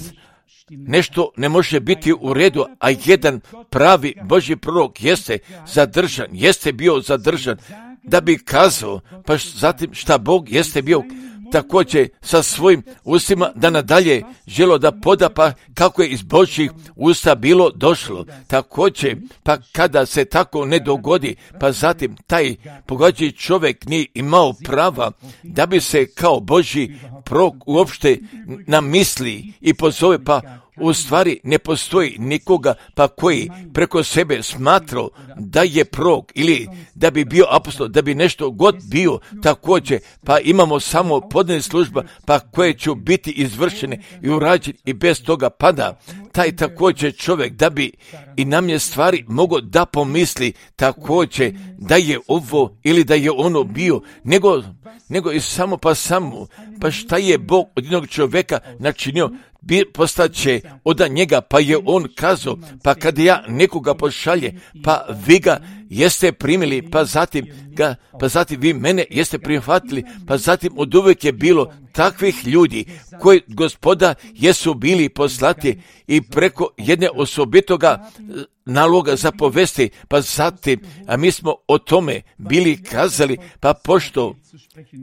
nešto ne može biti u redu, a jedan pravi Božji prorok jeste zadržan, jeste bio zadržan, da bi kazao, pa zatim šta Bog jeste bio također sa svojim ustima da nadalje želo da poda, pa kako je iz Božjih usta bilo došlo. Također, pa kada se tako ne dogodi, pa zatim taj pogađajući čovjek nije imao prava da bi se kao Božji prorok uopšte namisli i pozove, pa u stvari ne postoji nikoga pa koji preko sebe smatrao da je prorok ili da bi bio apostol, da bi nešto god bio također, pa imamo samo podne služba pa koje će biti izvršene i urađene i bez toga pada taj također čovjek da bi i nam je stvari mogao da pomisli također da je ovo ili da je ono bio, nego, nego i samo pa samo, pa šta je Bog od jednog čovjeka načinio, postaće od njega, pa je on kazao, pa kad ja nekoga pošalje, pa vi ga jeste primili, pa zatim ga, pa zatim vi mene jeste prihvatili, pa zatim od uvijek je bilo takvih ljudi koji Gospoda jesu bili poslati i preko jedne osobitoga naloga za povesti, pa zatim, a mi smo o tome bili kazali, pa pošto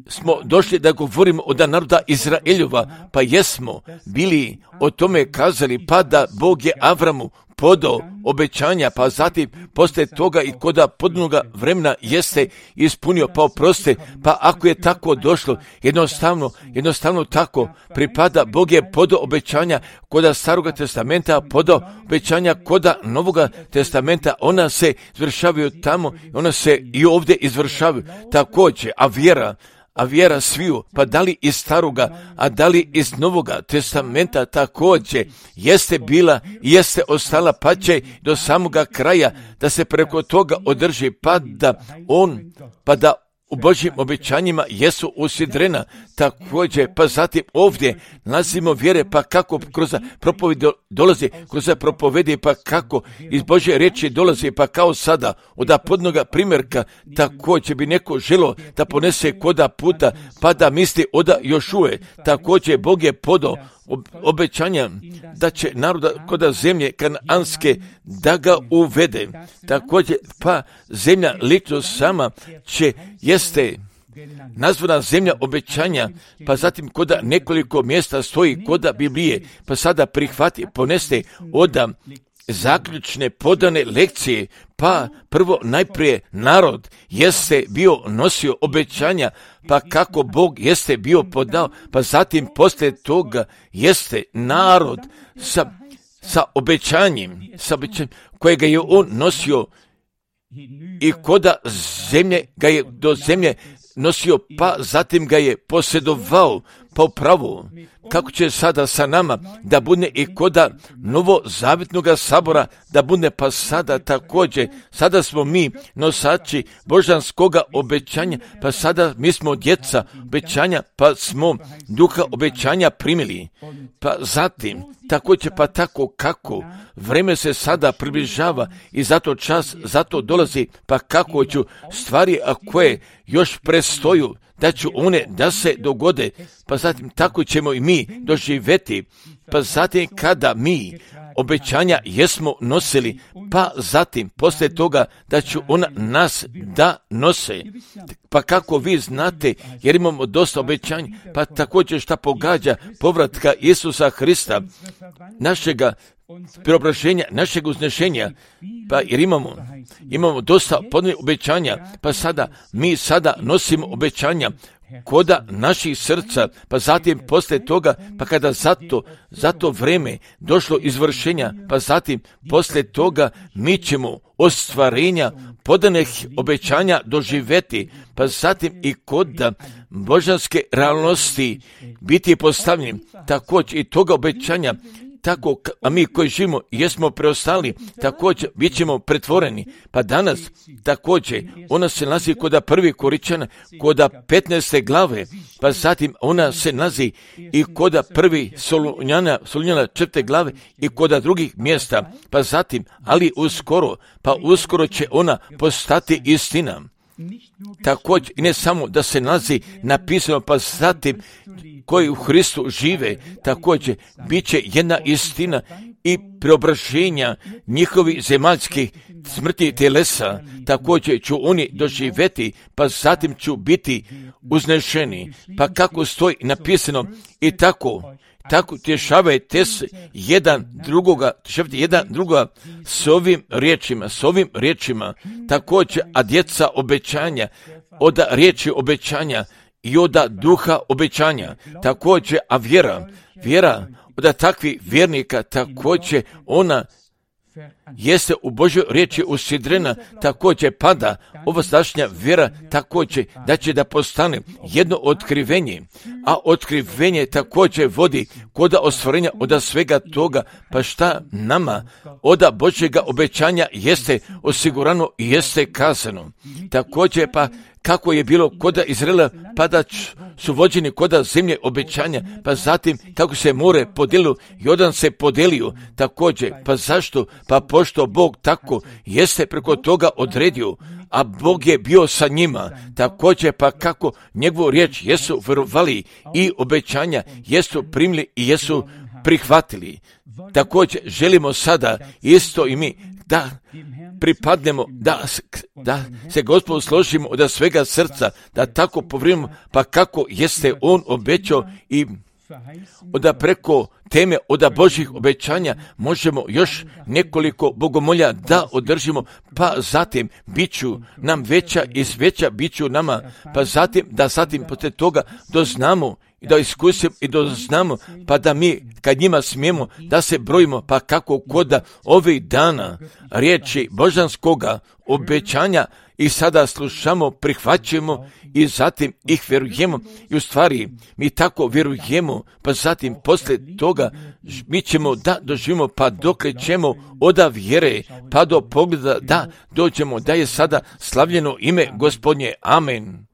smo došli da govorimo od naroda Izraeljova, pa jesmo bili o tome kazali, pa da Bog je Avramu podao obećanja, pa zatim poslije toga i koda podnoga vremena jeste ispunio, pa oproste, pa ako je tako došlo, jednostavno, jednostavno tako pripada, Bog je podao obećanja koda Staroga testamenta, podao obećanja koda Novoga testamenta, ona se izvršavaju tamo, ona se i ovdje izvršavaju također, a vjera, a vjera sviju, pa da li iz Staroga, a da li iz Novoga testamenta također jeste bila i jeste ostala, pa će do samoga kraja da se preko toga održi, pa da on, pa da u Božjim obećanjima jesu usidrena također, pa zatim ovdje nalazimo vjere, pa kako kroz propovedi dolazi, kroz propovedi, pa kako iz Božje riječi dolazi, pa kao sada od podnoga primjerka također bi neko želo da ponese koda puta, pa da misli oda Jošue, također Bog je podao obećanja da će naroda koda zemlje kananske da ga uvede. Također, pa zemlja lično sama će jeste nazvana zemlja obećanja, pa zatim koda nekoliko mjesta stoji koda Biblije, pa sada prihvati, poneste oda zaključne podane lekcije, pa prvo najprije narod jeste bio nosio obećanja, pa kako Bog jeste bio podao, pa zatim poslije toga jeste narod sa, sa obećanjem, sa obećanjem kojega je on nosio i koda zemlje ga je do zemlje nosio, pa zatim ga je posjedovao po pravu. Kako će sada sa nama da bude i koda novozavjetnog sabora da bude, pa sada također, sada smo mi nosači božanskoga obećanja, pa sada mi smo djeca obećanja, pa smo duha obećanja primili, pa zatim također, pa tako kako vreme se sada približava i zato čas, zato dolazi, pa kako ću stvari, a koje još prestoju, da ću one da se dogode, pa zatim tako ćemo i mi doživjeti, pa zatim kada mi obećanja jesmo nosili, pa zatim poslije toga da će ona nas da nose. Pa kako vi znate, jer imamo dosta obećanja, pa također šta pogađa povratka Isusa Hrista, našega preobraženja, našeg uznešenja, pa jer imamo, imamo dosta podne obećanja, pa sada mi sada nosimo obećanja koda naših srca, pa zatim poslije toga, pa kada zato, zato vreme došlo izvršenja, pa zatim poslije toga mi ćemo ostvarenja podanih obećanja doživjeti, pa zatim i kod božanske realnosti biti postavljeni, također i toga obećanja, tako, a mi koji živimo jesmo preostali, također bit ćemo pretvoreni. Pa danas također ona se nalazi kod prvi Koričana, kod petnaeste glave, pa zatim ona se nalazi i kod prvi Solunjana, Solunjana četvrte glave i kod drugih mjesta, pa zatim, ali uskoro, pa uskoro će ona postati istina. Također, i ne samo da se nalazi napisano, pa zatim koji u Hristu žive, također bit će jedna istina i preobraženja njihovih zemaljskih smrti telesa, također ću oni doživjeti, pa zatim ću biti uznešeni. Pa kako stoji napisano i tako, tako tješavajte se jedan drugoga, tješavajte jedan drugoga s ovim riječima, s ovim riječima, također, a djeca obećanja, oda riječi obećanja i oda duha obećanja, također, a vjera, vjera oda takvih vjernika, također ona jeste u Božoj riječi usidrena, također pada ova sadašnja vjera, također da će da postane jedno otkrivenje, a otkrivenje također vodi kod ostvarenja od svega toga, pa šta nama od Božjega obećanja jeste osigurano i jeste kazano. Također pa kako je bilo kod Izraela, pa da su vođeni kod zemlje obećanja, pa zatim kako se more podelilo, Jordan se podelio također, pa zašto? Pa pošto Bog tako jeste preko toga odredio, a Bog je bio sa njima, također pa kako njegovu riječ jesu vjerovali i obećanja jesu primili i jesu prihvatili. Također želimo sada isto i mi da pripadnemo, da, da se Gospodu složimo od svega srca, da tako povrimimo, pa kako jeste On obećao i od preko teme od Božjih obećanja možemo još nekoliko bogomolja da održimo, pa zatim biću nam veća i veća biću nama, pa zatim da zatim poslije toga doznamo i da iskusimo i doznamo, pa da mi kad njima smijemo da se brojimo, pa kako kod ovih dana riječi božanskoga obećanja i sada slušamo, prihvaćamo i zatim ih vjerujemo i u stvari mi tako vjerujemo, pa zatim poslije toga mi ćemo da doživimo, pa dokle ćemo od vjere pa do pogleda da dođemo da je sada slavljeno ime Gospodnje. Amen.